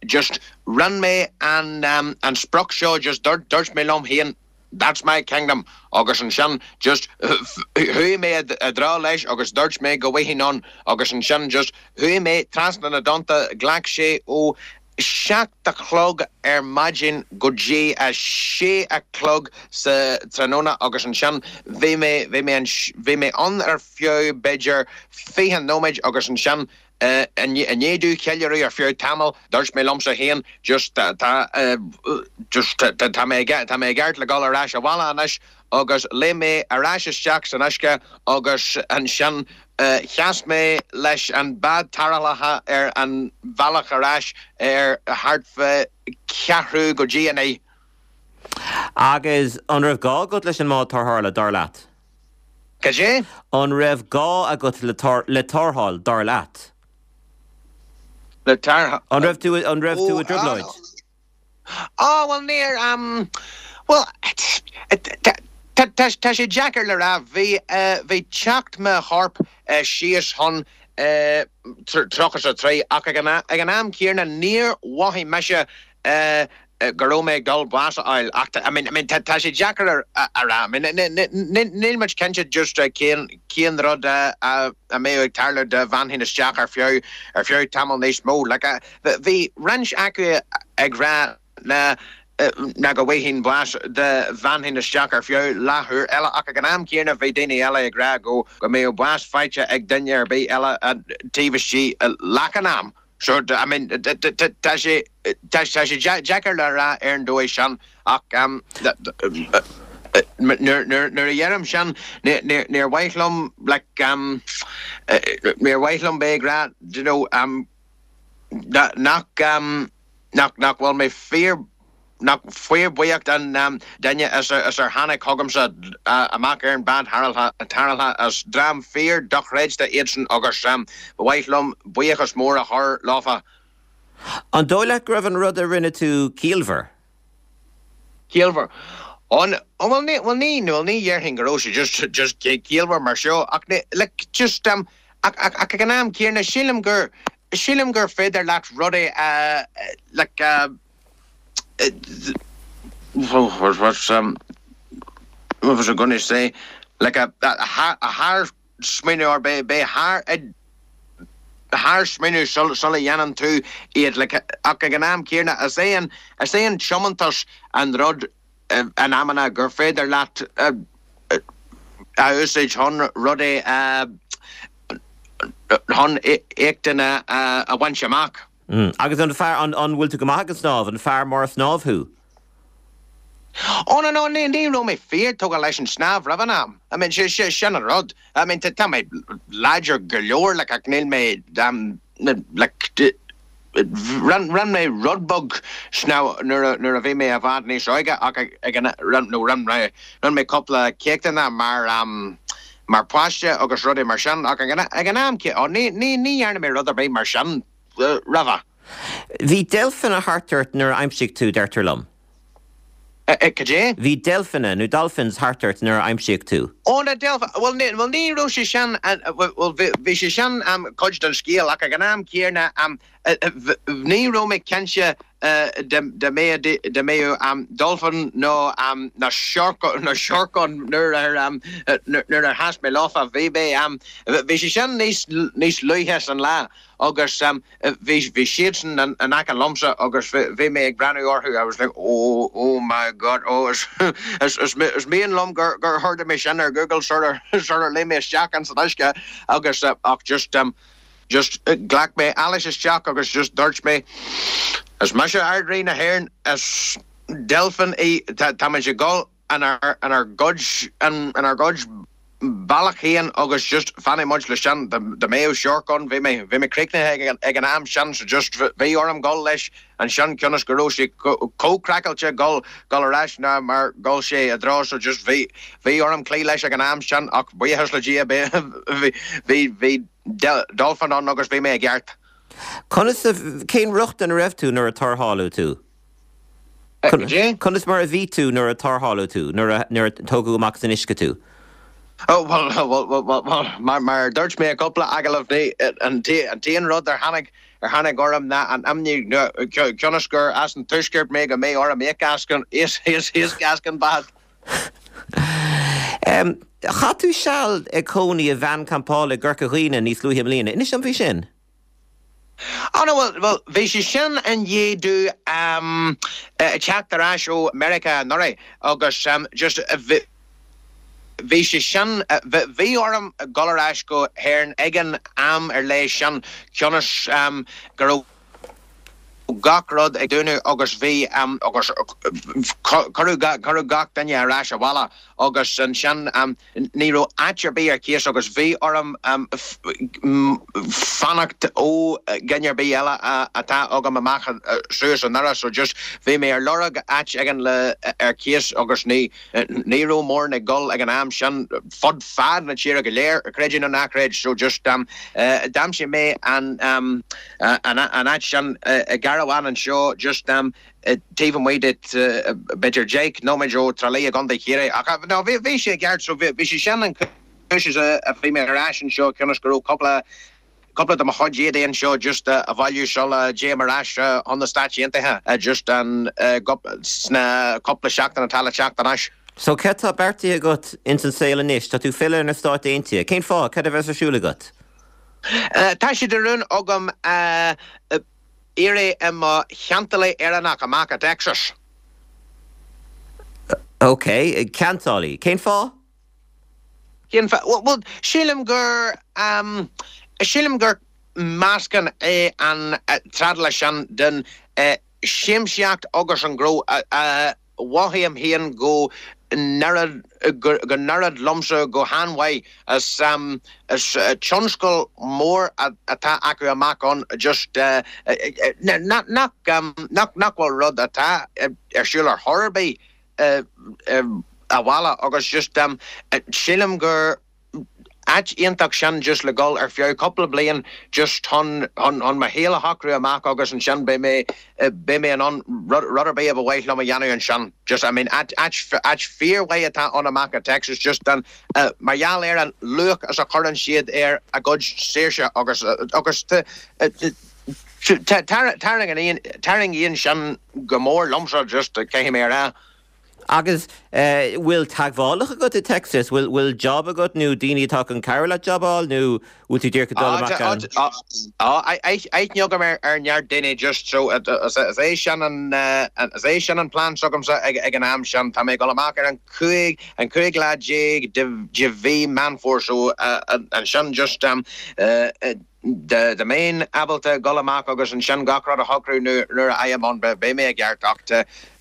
just rinne mé an, an sprioc seo, just dúirt, dúirt mé liom féin, That's my kingdom agus ansin just chuaigh mé i dtreo leis agus dúirt mé go bhfaighinn ann agus ansin just chuaigh mé trasna na dtonnta, ghlac sé ó 7 a chlog ar maidin go dtí a 6 a chlog sa tráthnóna agus ansin bhí mé, bhí mé, bhí mé ann ar feadh b'fhéidir 20 nóiméid agus ansin I ndiaidh domh ceiliúradh ar feadh tamaill, dúirt mé liomsa féin, just tá, just tá mé, tá mé i gceart le dul ar ais abhaile anois agus léim mé ar ais isteach san uisce agus ansin sheas mé leis an bád tarrthála ar an bhealach ar ais ar thart fá ceathrú go dtí a naoi. Agus an raibh gá agat leis an mbád tarrthála, dar leat? Cad é? An raibh gá agat le tarrtháil, dar leat? Le tarrtháil? An raibh tú, an raibh tú i dtrioblóid? Ó, bhuel, níor, bhuel, tá sé deacair le rá. Bhí, bhí teocht mo choirp síos chun 33 ach ag an am céanna níor mhothaigh mise go raibh mé ag dul bás a fháil ach I mean, I mean tá sé deacair a rá. I mean níl muid cinnte just cén cén rud a a mbeadh ag tarlú dá bhfanfainn isteach ar feadh ar feadh tamall níos mó. Like bhí roinnt acu ag rá ná ná go bhfaighinn bás dá bhfanfainn isteach ar feadh leathuair eile ach ag an am céanna bhí daoine eile ag rá go go mbeadh bás faighte ag duine ar bith eile taobh istigh leath an am. So, I mean, tá sé, tá sé deacair le rá ar an dóigh sin ach nuair a dheirim sin, níor mhaith liom, like, níor mhaith liom bheith ag rá, do you know, nach, nach bhfuil mé fíor, nach fíorbhuíoch den duine is ar tháinig chugamsa amach ar an bád tarrthála. Is dream fíor dochreidte iadsan agus ba mhaith liom buíochas mór a chur leofa. An dóigh leat go raibh an rud a rinne tú ciallmhar? Ciallmhar? Ó, bhuel ní, bhuel ní, bhuel ní dhéarfainn go raibh sé just, just ciallmhar mar seo ach ní, like, just, ach, ach, ach ag an am céanna sílim gur, sílim gur féidir leat rudaí a, like, a, what's um what was I going to say like a a thar smaoineamh or beidh beidh thar thar smaoineamh sula dhéanann tú iad like ach ag an am céanna is é an is é an tiomantas an rud in amanna gur féidir leat a úsáid chun rudaí a chun éachtanna a bhaint amach. Agus an fear, an bhfuil tú go maith ag an snámh? An fear mór snámh thú? Ó no no, ní raibh mé fíor tógtha leis an snámh roimh an am. I mean, sin an rud. I mean, tá mé láidir go leor like ach níl mé like rinne mé rud beag snámh nuair a bhí mé i bhfad níos óige ach ag an nó rinne mé cúpla céachtanna mar mar pháiste agus rudaí mar sin ach ag an am ó ní ní ní dhearna mé rud ar bith mar sin roimhe. Bhí deilfeanna thart ort nuair a aimsíodh tú, deirtear liom. Cad é? Bhí deilfeanna, nó dolphins, thart ort nuair a aimsíodh tú. Ó, na deilf, bhuel ní, bhuel ní raibh sé sin, bhuel bhí sé sin cuid den scéal ach ag an am céanna ní raibh mé cinnte dá mbeadh dolphin nó nó siorc ann nuair a nuair a sheas mé leofa. Bhí mé, bhí sé sin níos níos luaithe san lá agus Bhí, bhí siadsan in aice liomsa agus bhí mé ag breathnú orthu, I was like oh, oh my God, oh is, is, is, is mian liom gur, gur chuardaigh mé sin ar Google sular, sular léim mé isteach ins an uisce agus ach just, just ghlac mé allas isteach agus just dúirt mé is mise Ard-Rí na hÉireann, is deilfin í, tá, táimid ag dul inár gcuid, inár gcuid bealach féin agus just fanfaidh muid leis sin. Dá mbeadh siorc ann, bhí mé, bhí mé críochnaithe ag an am sin so just bhí orm dul leis ansin cionn is go raibh sé chomh craiceáilte dul, dul ar ais ná mar dhul sé i dtreo so just bhí, bhí orm cloí leis ag an am sin ach buíochas le Dia bhí, bhí, bhí dolphin ann agus bhí mé i gceart. Conas a, cén riocht ina raibh tú nuair a tarrtháladh tú? Conas mar a bhí tú nuair a tarrtháladh tú, nuair a tógadh amach as an uisce tú? Ó, bhuel, bhuel, bhuel, mar a dúirt mé i gcúpla agallamh, ní, an t-aon rud ar tháinig, ar tháinig orm ná an imní, cionn is gur as an tuaisceart mé, go mbeidh orm íoc as an, íoc as an bád. Chaith tú seal ag cónaí i veain campála i gCorca Dhuibhne níos luaithe i mbliana. Inis dom faoi sin. Ó no, bhuel, bhuel, bhí sé sin i ndiaidh domh teacht ar ais ó Meiriceá anuraidh agus just bhí, bhí sé sin, bhí orm dul ar ais go hÉirinn ag an am ar leith sin cionn is go raibh gach rud ag dúnadh agus bhí, agus cuireadh, cuireadh gach duine ar ais abhaile agus ansin Ní raibh áit ar bith ar cíos agus bhí orm fanacht ó dhuine ar bith eile atá agam amach suas i nDoire so just bhí mé ar lorg áit éigin le ar cíos agus ní ní raibh mórán ag dul ag an am sin fud fad na tíre go léir, creid é nó ná creid so just d'aimsigh mé an an an áit sin i gcarbhán anseo just taobh amuigh de b'fhéidir 10 nóiméad ó Trá Lí i gContae Chiarraí. Ach no, bhí, bhí sé i gceart, so bhí, bhí sé sin an chúis is a bhí mé ar ais anseo cionn is go raibh cúpla, cúpla de mo chuid éadaí anseo just a bhailiú sula dtéim ar ais chun na Stáit Aontaithe just an, sna cúpla seachtain atá le teacht anois. So cad tá beartaithe agat ins an saol anois? Tá tú filleadh ar na Stáit Aontaithe. Cén fáth? Cad a bheas ar siúl agat? Tá sé de rún agam éirí i mo cheantálaí Éireannach amach i dTexas. Ok, ceantálaí. Cén fáth? Cén fáth? Bhuel, sílim gur, sílim gur meascán é an trádáil sin den siamsaíocht agus an gnó. Mhothaím féin go n-oireann go n-oireann liomsa go han-mhaith. Is is tionscal mór atá acu amach ann just nach nach nach bhfuil rud atá ar siúl ar chor ar bith abhaile agus just sílim gur áit iontach sin just le dhul ar feadh cúpla bliain just chun chun chun mo shaol a shocrú amach agus ansin beidh mé beidh mé in ann rud rud ar bith a ba mhaith liom a dhéanamh ansin just I mean áit áit áit fíormhaith atá ann amach i Texas just an mar gheall ar an luach is a chuireann siad ar a gcuid saoirse agus agus tarraingíonn tarraingíonn sin go mór liomsa just caithfidh mé a rá. Agus bhfuil teagmhálacha agat i Texas? Bhfuil bhfuil job agat nó daoine atá chun cabhrú leat job a fháil nó bhfuil tú díreach ag dul amach ann? Tá aithne agam ar neart daoine just so is é sin an is é sin an plean s'agamsa ag an am sin. Tá mé ag dul amach ar an 15 an 15 lá de mhí Meán Fómhair so ansin just. Dá mbeinn ábalta dul amach agus ansin gach rud a shocrú nuair a fhaighim ann, beidh mé i gceart ach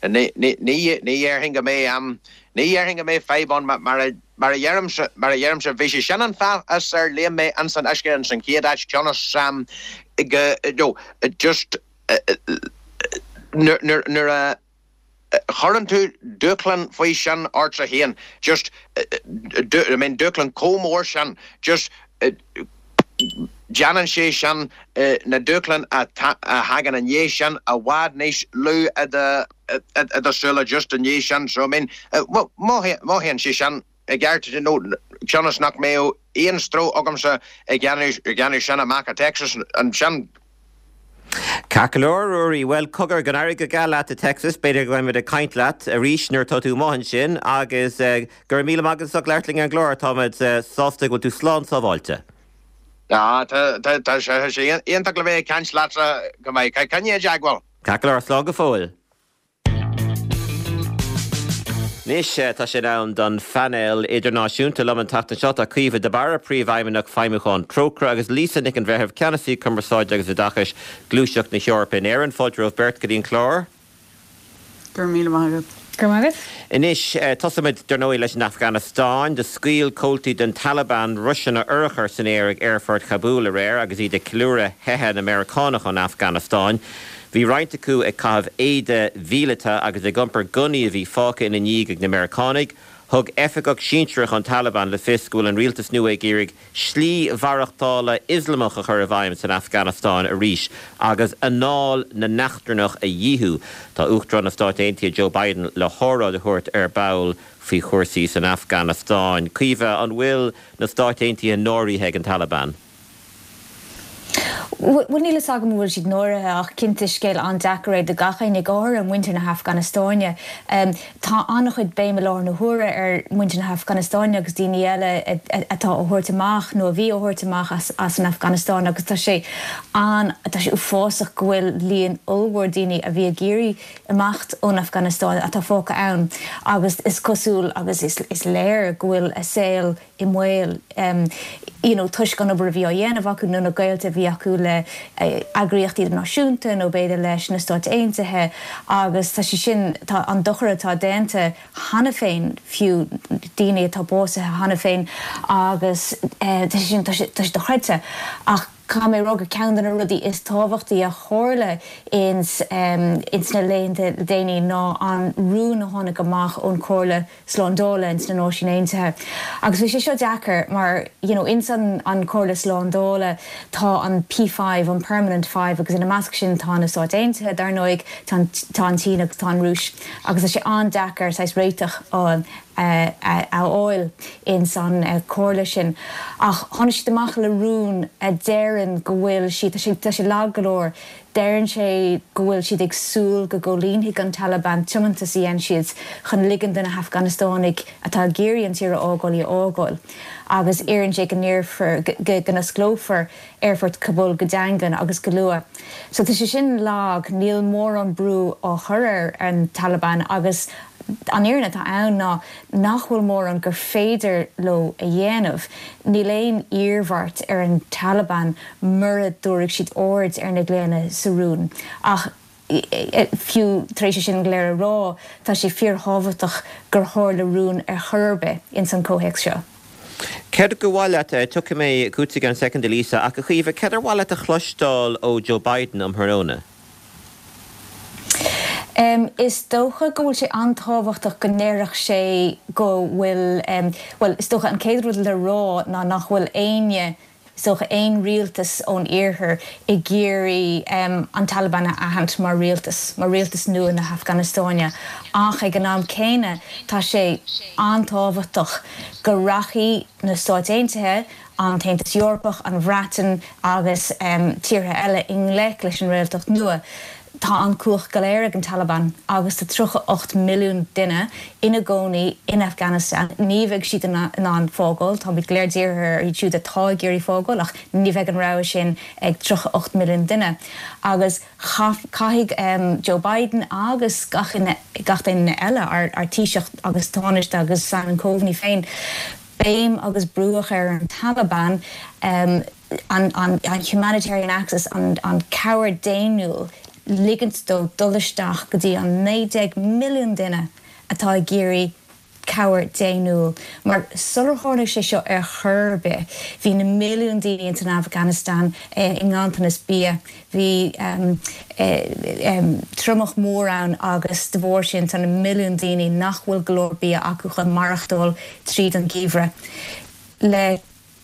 ní dhéarfainn go mbeidh, ní dhéarfainn go mbeidh fadhb ann mar a mar a dheirimse, mar a dheirimse, bhí sé sin an fáth as ar léim mé ins an uisce ins an chéad áit cionn is go, you know, just nuair, nuair a. chuireann tú dúshlán faoi sin ortsa féin, just, I mean dúshlán chomh mór sin, just déanann sé sin na dúshláin a thagann i ndiaidh sin i bhfad níos lú i do súile just i ndiaidh sin, so I mean mothaíonn sé sin i gceart, you know, cionn is nach mbeadh aon stró agamsa ag déanamh sin amach i Texas ansin. Ceart go leor, Ruairí. Bhuel, cogar, go n-éirí go geal leat i Texas. B'fhéidir go mbeidh muid ag caint leat arís nuair atá tú amuigh ansin agus go raibh míle maith agat as ucht labhairt linn ar an gclár. Táimid sásta go bhfuil tú slán sábháilte. Tá, tá sé iontach le bheith ag caint leatsa go maith. Coinnigh i dteagmháil. Ceart go leor, slán go fóill. Anois tá sé in am don phainéal idirnáisiúnta. Liom an tseachtain seo tá Caoimhe de Barra, Príomhfheidhmeannach Feidhmiúcháin Trócaire, agus Lisa Nic an Bhreithimh, Ceannasaí Cumarsáide agus Oideachais, Gluaiseacht na hEorpa in Éirinn. Fáilte romhaibh beirt go dtí an clár. Go raibh míle maith agat. Go raibh maith agat. Anois, tosóimid, dar ndóigh, leis an Afganastáin. Do scaoil comhaltaí den Taliban roiseanna urchar san aer ag aerfort Chabúl aréir agus iad ag ceiliúradh theitheadh na Meiriceánach ón Afganastáin. Bhí roinnt acu ag caitheamh éide mhíleata agus ag iompar gunnaí a bhí fágtha ina ndiaidh ag na Meiriceánaigh. Thug oifigeach sinsearach an Taliban le fios go bhfuil an rialtas nua ag iarraidh slí mhaireachtála Ioslamach a chur i bhfeidhm san Afganastáin arís agus anáil na n-eachtrannach a dhíothú. Tá Uachtarán na Stát Aontaithe Joe Biden le hóráid a thabhairt ar ball faoi chúrsaí san Afganastáin. Caoimhe, an bhfuil na Stáit Aontaithe náirithe ag an Taliban? Bhuel, níl fhios agam an bhfuil siad náirithe ach cinnte is scéal an-deacair é do gach éinne, go háirithe muintir na hAfganastáine. Tá an-chuid béim i láthair na huaire ar mhuintir na hAfganastáine agus daoine eile atá á thabhairt amach nó a bhí á thabhairt amach as an Afganastáin agus tá sé an, tá sé uafásach go bhfuil líon ollmhór daoine a bhí ag iarraidh imeacht ón Afganastáin atá fágtha ann agus is cosúil agus is léir go bhfuil a saol i mbaol you know toisc an obair a bhí á dhéanamh acu nó na gaolta a bhí acu le eagraíochtaí idirnáisiúnta nó b'fhéidir leis na Stáit Aontaithe agus tá sé sin, tá an dochar atá déanta cheana féin fiú daoine atá básaithe cheana féin agus tá sé sin, tá sé, tá sé dochreidte ach caithfidh mé a rá gur ceann de na rudaí is tábhachtaí a tharla ins ins na laethanta le déanaí ná an rún a tháinig amach ón Chomhairle Slándála ins na Náisiúin Aontaithe. Agus bhí sé seo deacair mar you know ins an an Chomhairle Slándála tá an P5, an Permanent Five, agus ina measc sin tá na Stáit Aontaithe dar ndóigh, tá an tá an tSín agus tá an Rúis agus tá sé an-deacair saghas réiteach a a a fháil ins an Chomhairle sin. Ach tháinig siad amach le rún a deireann go bhfuil siad, tá sé tá sé lag go leor, Deireann sé go bhfuil siad ag súil go gcomhlíonfaidh an Taliban tiomantas a dhein siad chun ligean do na hAfganastánaigh atá ag iarraidh an tír a fhágáil í a fhágáil agus iarrann sé go n-iarrfar go n-osclófar aerfort Kabul go daingean agus go luath. So tá sé sin lag, níl mórán brú á chur ar an Taliban agus an fhírinne atá ann ná nach bhfuil mórán gur féidir leo a dhéanamh. Níl aon iarmhairt ar an Taliban mura dtabharfaidh siad aird ar na glaonna sa rún. Ach fiú tar éis é sin go léir a rá, tá sé fíorthábhachtach gur tharla rún ar chor ar bith ins an comhthéacs seo. Céard ba mhaith leat, tiocfaidh mé chugat i gceann soicind a Lisa, ach a Chaoimhe, céard ar mhaith leat a chloisteáil ó Joe Biden um thráthnóna? Is dócha go bhfuil sé an-tábhachtach go ndéarfadh sé go bhfuil, bhuel, is dócha an chéad rud le rá ná nach bhfuil éinne, is dócha, aon rialtas ón iarthar ag iarraidh an Taliban a aithint mar rialtas, mar rialtas nua na hAfganastáine. Ach ag an am céanna, tá sé an-tábhachtach go rachaidh na Stáit Aontaithe, an tAontas Eorpach, an Bhreatain agus tíortha eile i ngleic leis an réaltacht nua. Tá an chumhacht go léir ag an Taliban agus tá 38 milliún duine ina gcónaí in Afghanistan. Ní bheidh siad in ann fágáil. Táimid go léir dírithe ar iad siúd atá ag iarraidh fágáil ach ní bheidh an rogha sin ag 38 milliún duine. Agus caithfidh Joe Biden agus gach duine eile, ár Taoiseach agus Tánaiste agus Simon Coveney féin, béim agus brú a chur ar an Taliban. An humanitarian access, an cabhair daonnúil, ligint dó dul isteach go dtí an 19 milliún duine atá ag iarraidh cabhair daonnúil. Mar sular tharla sé seo ar chor ar bith, bhí na milliúin daoine ins an Afganastáin i nganntanas bia, bhí triomach mór ann agus de bharr sin tá na milliúin daoine nach bhfuil go leor bia acu chun maireachtáil tríd an gheimhreadh. Le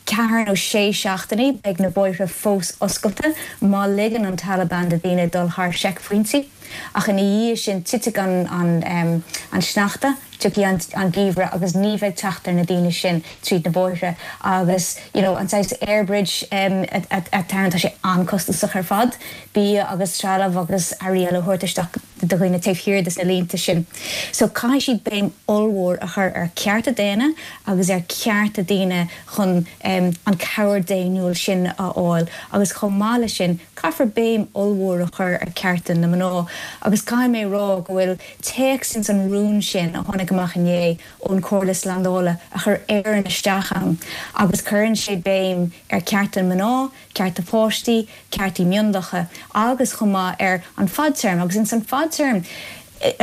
ceathair nó sé seachtainí beidh na bóithre fós oscailte má ligeann an Taliban do dhaoine dul thar seicphointí. Ach ina dhiaidh sin titfidh an an sneachta, tiocfaidh an geimhreadh agus ní bheidh teacht ar na daoine sin tríd na bóithre agus you know an saghas air bridge atá ann tá sé an-costasach ar fad bia agus trealamh agus earraí eile a thabhairt isteach do dhaoine taobh thiar des na línte sin. So caithfidh siad béim ollmhór a chur ar cearta daonna agus ar cearta daoine chun an cabhair daonnúil sin a fháil agus chomh maith leis sin caithfear béim ollmhór a chur ar cearta na mná agus caithfidh mé a rá go bhfuil téacs ins an rún sin a tháinig amach inné ón Chomhairle Slándála a chuir Éirinn isteach ann agus cuireann sé béim ar cearta mná, cearta páistí, ceartaí mionlacha agus chomh maith ar an fadtéarma agus ins an fadtéarm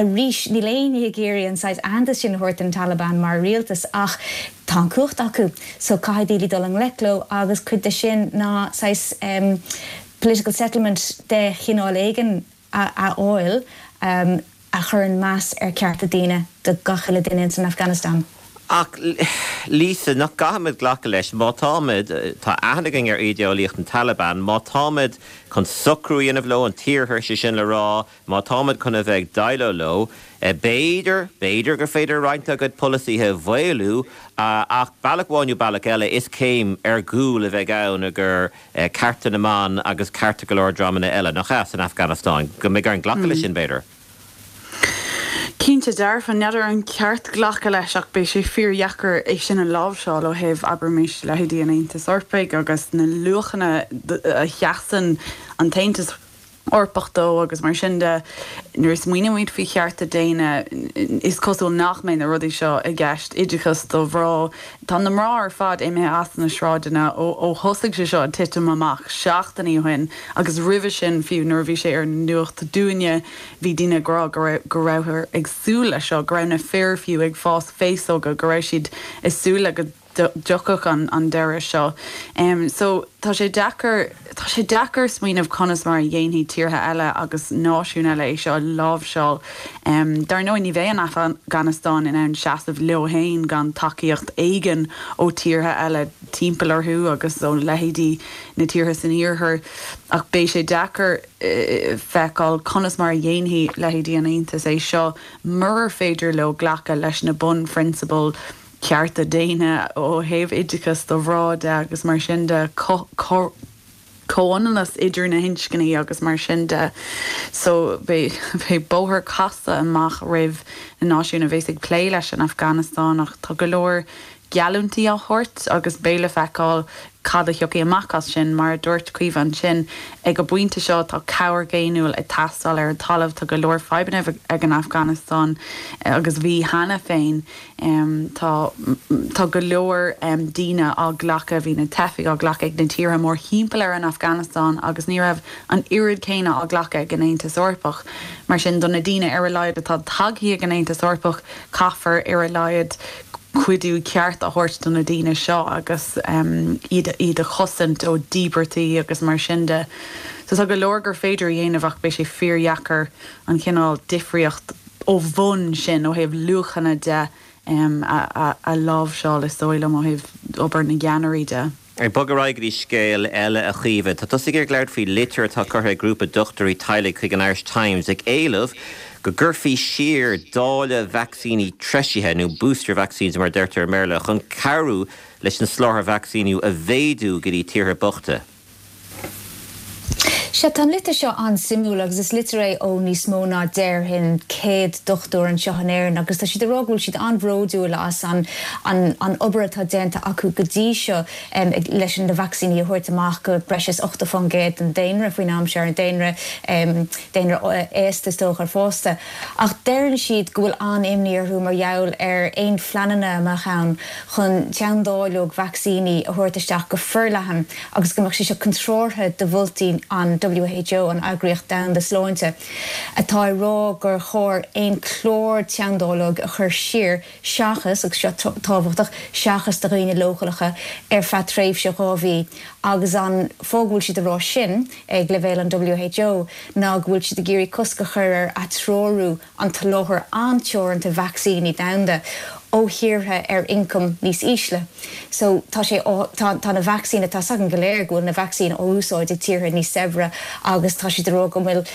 arís níl éinne ag iarraidh an saghas aitheantas sin a thabhairt don Taliban mar rialtas ach tá an cumhacht acu so caithfidh daoine dul i ngleic leo agus cuid de sin ná saghas political settlement de chineál éigin a fháil a chuireann meas ar cearta daoine do gach uile duine ins an Afghanistan. Ach, Lisa, nach gcaithfimid glacadh leis, má táimid, tá aithne againn ar ídéolaíocht an Taliban, má táimid chun socrú a dhéanamh leo, an tIarthar, sé sin le rá, má táimid chun a bheith ag déileáil leo, b'fhéidir, b'fhéidir gur féidir roinnt dá gcuid polasaithe a mhaolú, ach bealach amháin nó bealach eile, is céim ar gcúl a bheidh ann i gcur cearta na mban agus cearta go leor dreamanna eile, nach ea, san Afganastáin, go mbeidh orainn glacadh leis sin, b'fhéidir. Cinnte dearfa, n'fheadar an ceart glacadh leis ach beidh sé fíordheacair é sin a láimhseáil ó thaobh, abraimis, leithéidí an Aontais Eorpaigh agus na luachanna a sheasann an tAontas Eorpach dó agus mar sin de. Nuair a smaoinímid faoi chearta daonna, is cosúil nach mbeidh na rudaí seo i gceist, oideachas do mhná. Tá na mná ar fad imithe as na sráideanna ó thosaigh sé seo ag titim amach seachtainí ó shin agus roimhe sin fiú nuair a bhí sé ar an nuacht dúinne bhí daoine ag rá go raibh go rabhthar ag súil leis seo, go raibh na fir fiú ag fás féasóga, go raibh siad ag súil le go dtiocfadh an deireadh seo. So tá sé deacair, tá sé deacair smaoineamh conas mar a dhéanfaidh tíortha eile agus náisiúin eile é seo a láimhseáil. Dar ndóigh ní bheidh an Afganastáin in ann seasamh leo féin gan tacaíocht éigin ó tíortha eile timpeall orthu agus ó leithéidí na tíortha san iarthar ach beidh sé deacair feiceáil conas mar a dhéanfaidh leithéidí an Aontais é seo murar féidir leo glacadh leis na bunphrionsabail cearta daonna ó thaobh oideachas do mhná de agus mar sin de, comhionannas idir na hinscní agus mar sin de. So beidh bóthar casta amach roimh na náisiúin a bheas ag plé leis an Afganastáin ach tá go leor geallúintí á thabhairt agus beidh le feiceáil cad a thiocfaidh amach as sin. Mar a dúirt Caoimhe ansin, ag an bpointe seo tá cabhair dhaonnúil ag teastáil ar an talamh, tá go leor fadhbanna ag an Afganastáin agus bhí cheana féin. Tá tá go leor daoine á nglacadh, bhí na teifigh á nglacadh ag na tíortha mórthimpeall ar an Afganastáin agus ní raibh an oiread céanna á glacadh ag an Aontas Eorpach. Mar sin, do na daoine ar a laghad atá tagtha ag an Aontas Eorpach, caithfear ar a laghad cuidiú ceart a thabhairt do na daoine seo agus iad iad a chosaint ó dhíbeartaí agus mar sin de. So tá go leor gur féidir a dhéanamh ach beidh sé fíordheacair an cineál difríocht ó bhun sin, ó thaobh luachanna de, a láimhseáil, is dóigh liom, ó thaobh obair na gceannairí de. Ag bogadh ar aghaidh go dtí scéal eile, a Chaoimhe. Tá tusa ag iarraidh labhairt faoi litir atá curtha ag grúpa dochtúirí teaghlaigh chuig an Irish Times ag éileamh go gcuirfí siar dáileadh vacsaíní treisithe, nó booster vaccines mar a deirtear i mBéarla, chun cabhrú leis an soláthar vacsaíniú a mhéadú go dtí tíortha bochta. Sea, tá an litir seo an-suimiúil agus is litir é ó níos mó ná déarfainn 100 dochtúir anseo in Éirinn agus tá siad ag rá go bhfuil siad an-bhródúil as an an obair atá déanta acu go dtí seo leis na vacsaíní a thabhairt amach go breis is 80% den daonra faoin am seo, ar an daonra, daonra aosta is dócha, fásta. Ach deireann siad go bhfuil an-imní orthu mar gheall ar aon phleananna a mbeadh ann chun teanndáileog vacsaíní a thabhairt isteach go forleathan agus go mbeadh sé seo contrártha do mholtaí an WHO, an Eagraíocht Domhanda Sláinte, atá ag rá gur chóir aon chlár teanndáileog a chur siar seachas, agus seo tábhachtach, seachas do dhaoine leochaileacha ar feadh tréimhse 2 mhí. Agus an fáth go bhfuil siad ag rá sin ag leibhéal an WHO ná go bhfuil siad ag iarraidh cosc a chur ar atreorú an tsoláthair an-teoranta vacsaíní domhanda ó thíortha ar ioncam níos ísle. So tá sé á, tá, tá na vacsaíní, tá 's againn go léir go bhfuil na vacsaíní á úsáid ag tíortha níos saibhre agus tá siad ag rá go bhfuil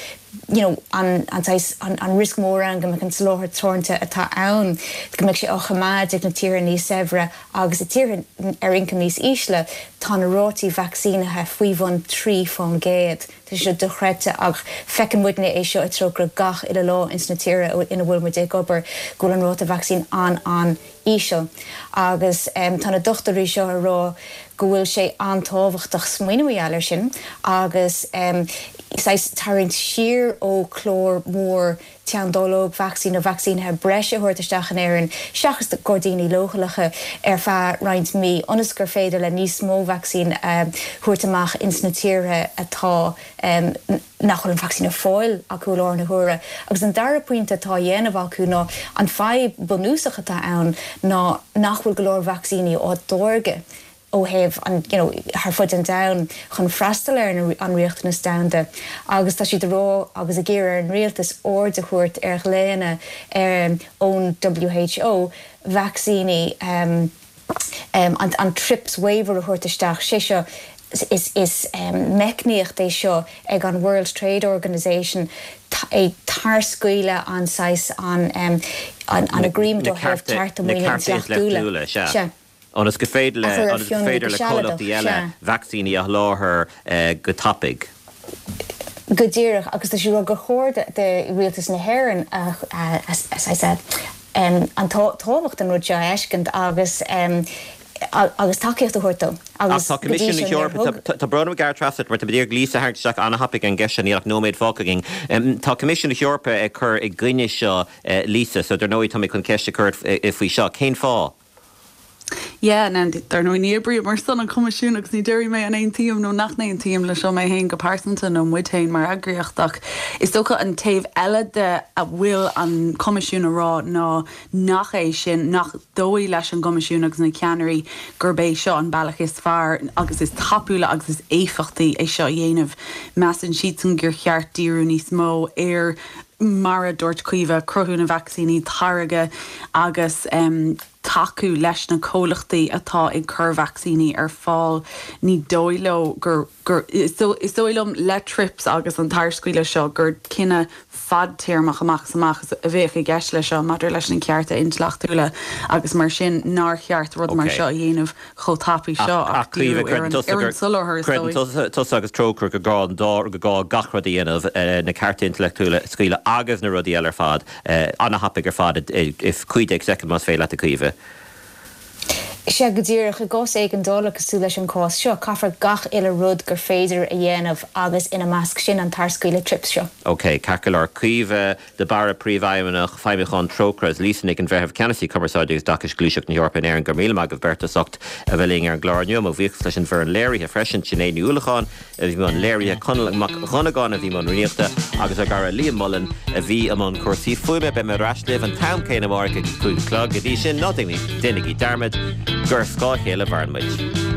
you know an, an saghas, an, an riosca mór ann go mbeadh an soláthar teoranta atá ann, go mbeadh sé á choimeád ag na tíortha níos saibhre agus i tíortha ar ioncam níos ísle tá na rátaí vacsaínithe faoi bhun 3%. Tá sé seo dochreidte ach feiceann muidne é seo i Trócaire gach uile lá ins na tíortha ina bhfuil muid ag obair go bhfuil an ráta vacsaín an-an-íseal agus tá na dochtúirí seo ag rá go bhfuil sé an-tábhachtach smaoineamh mar gheall air sin agus saghas tarraingt siar ó chlár mór teanndáileog vacsaín nó vacsaínithe breise a thabhairt isteach in Éirinn seachas do dhaoine leochaileacha ar feadh roinnt mí ionas gur féidir le níos mó vacsaín a thabhairt amach ins na tíortha atá nach bhfuil an vacsaín ar fáil acu i láthair na huaire. Agus an dara pointe atá á dhéanamh acu ná an fadhb bunúsach atá ann ná nach bhfuil go leor vacsaíní á dtáirgeadh ó thaobh an, you know, thar fud an domhain chun freastal ar an riachtanas domhanda agus tá siad ag rá agus ag iarraidh ar an rialtas aird a thabhairt ar ghlaonna ón WHO vacsaíní an an TRIPS waiver a thabhairt isteach, sé seo is is meicníocht é seo ag an World Trade Organization é tarscaoileadh an saghas an an agreement ó thaobh cearta maoine intleachtúla. Sea. Ionas go féidir le, ionas go féidir le comhlachtaí eile vacsaíní a sholáthar go tapaidh. Go díreach, agus tá siad ag rá gur chóir do rialtas na hÉireann an tábhacht den rud seo a fheiscint agus agus tacaíocht a thabhairt dó. Ach tá Coimisiún na hEorpa, tá brón orm a ghearradh trasna ort mar tá mé ag iarraidh Lisa a tharraingt isteach an-thapaidh ar an gceist seo, níl ach nóiméad fágtha againn. Tá Coimisiún na hEorpa ag cur i gcoinne seo, Lisa, so dar ndóigh tá mé chun ceist a chur ort faoi seo. Cén fáth? Yeah, now, dar ndóigh ní oibrím ar son an Choimisiúin agus ní déarfaidh mé an aontaím nó nach n-aontaím le seo mé féin go pearsanta nó muid féin mar eagraíocht ach is dócha an taobh eile de a bhfuil an Coimisiún a rá ná nach é sin, nach dóigh leis an gCoimisiún agus na ceannairí gurb é seo an bealach is fearr agus is tapúla agus is éifeachtaí é seo a dhéanamh. Measann siadsan gur cheart díriú níos mó ar, mar a dúirt Caoimhe, cruthú na vacsaíní, táirgeadh agus. tacú leis na comhlachtaí atá ag cur vacsaíní ar fáil. Ní dóigh leo gur, gur, is dóigh liom le TRIPS agus an tarscaoileadh seo gur cinneadh fadtéarmach amach is amach a bheadh i gceist leis seo maidir leis na cearta intleachtúla agus mar sin nár cheart rud mar seo a dhéanamh chomh tapaidh seo ach díriú ar an, ar an soláthar is dóigh. Creideann tusa agus Trócaire gur gá an dá, gur gá gach rud a dhéanamh, na cearta intleachtúla a scaoileadh agus na rudaí eile ar fad. An-thapaidh ar fad i 15 soicind más féidir leat a Chaoimhe. Sea, go díreach. I gcás éigeandála cosúil leis an gcás seo, caithfear gach uile rud gur féidir a dhéanamh agus ina measc sin an tarscaoileadh TRIPS seo. OK, ceart go leor. Caoimhe de Barra, Príomhfheidhmeannach Feidhmiúcháin Trócaire agus Lisa Nic an Bhreithimh, Ceannasaí Cumarsáide agus Oideachais Gluaiseacht na hEorpa in Éirinn, go raibh míle maith agaibh beirt as ucht a bheith linn ar an gclár inniu. Mo bhuíochas leis an bhfoireann léirithe freisin, Sinéad Ní Uallacháin, a bhí i mbun léirithe, Conall Mac Dhonnagáin a bhí i mbun rúnaíochta agus ár gcara Liam Mullen a bhí i mbun cúrsaí fuaime. Beidh mé ar ais libh an t-am céanna amárach ag a 5 a chlog. Go dtí sin, ná déanaigí dearmad gur ar scáth a chéile a mhaireann muid.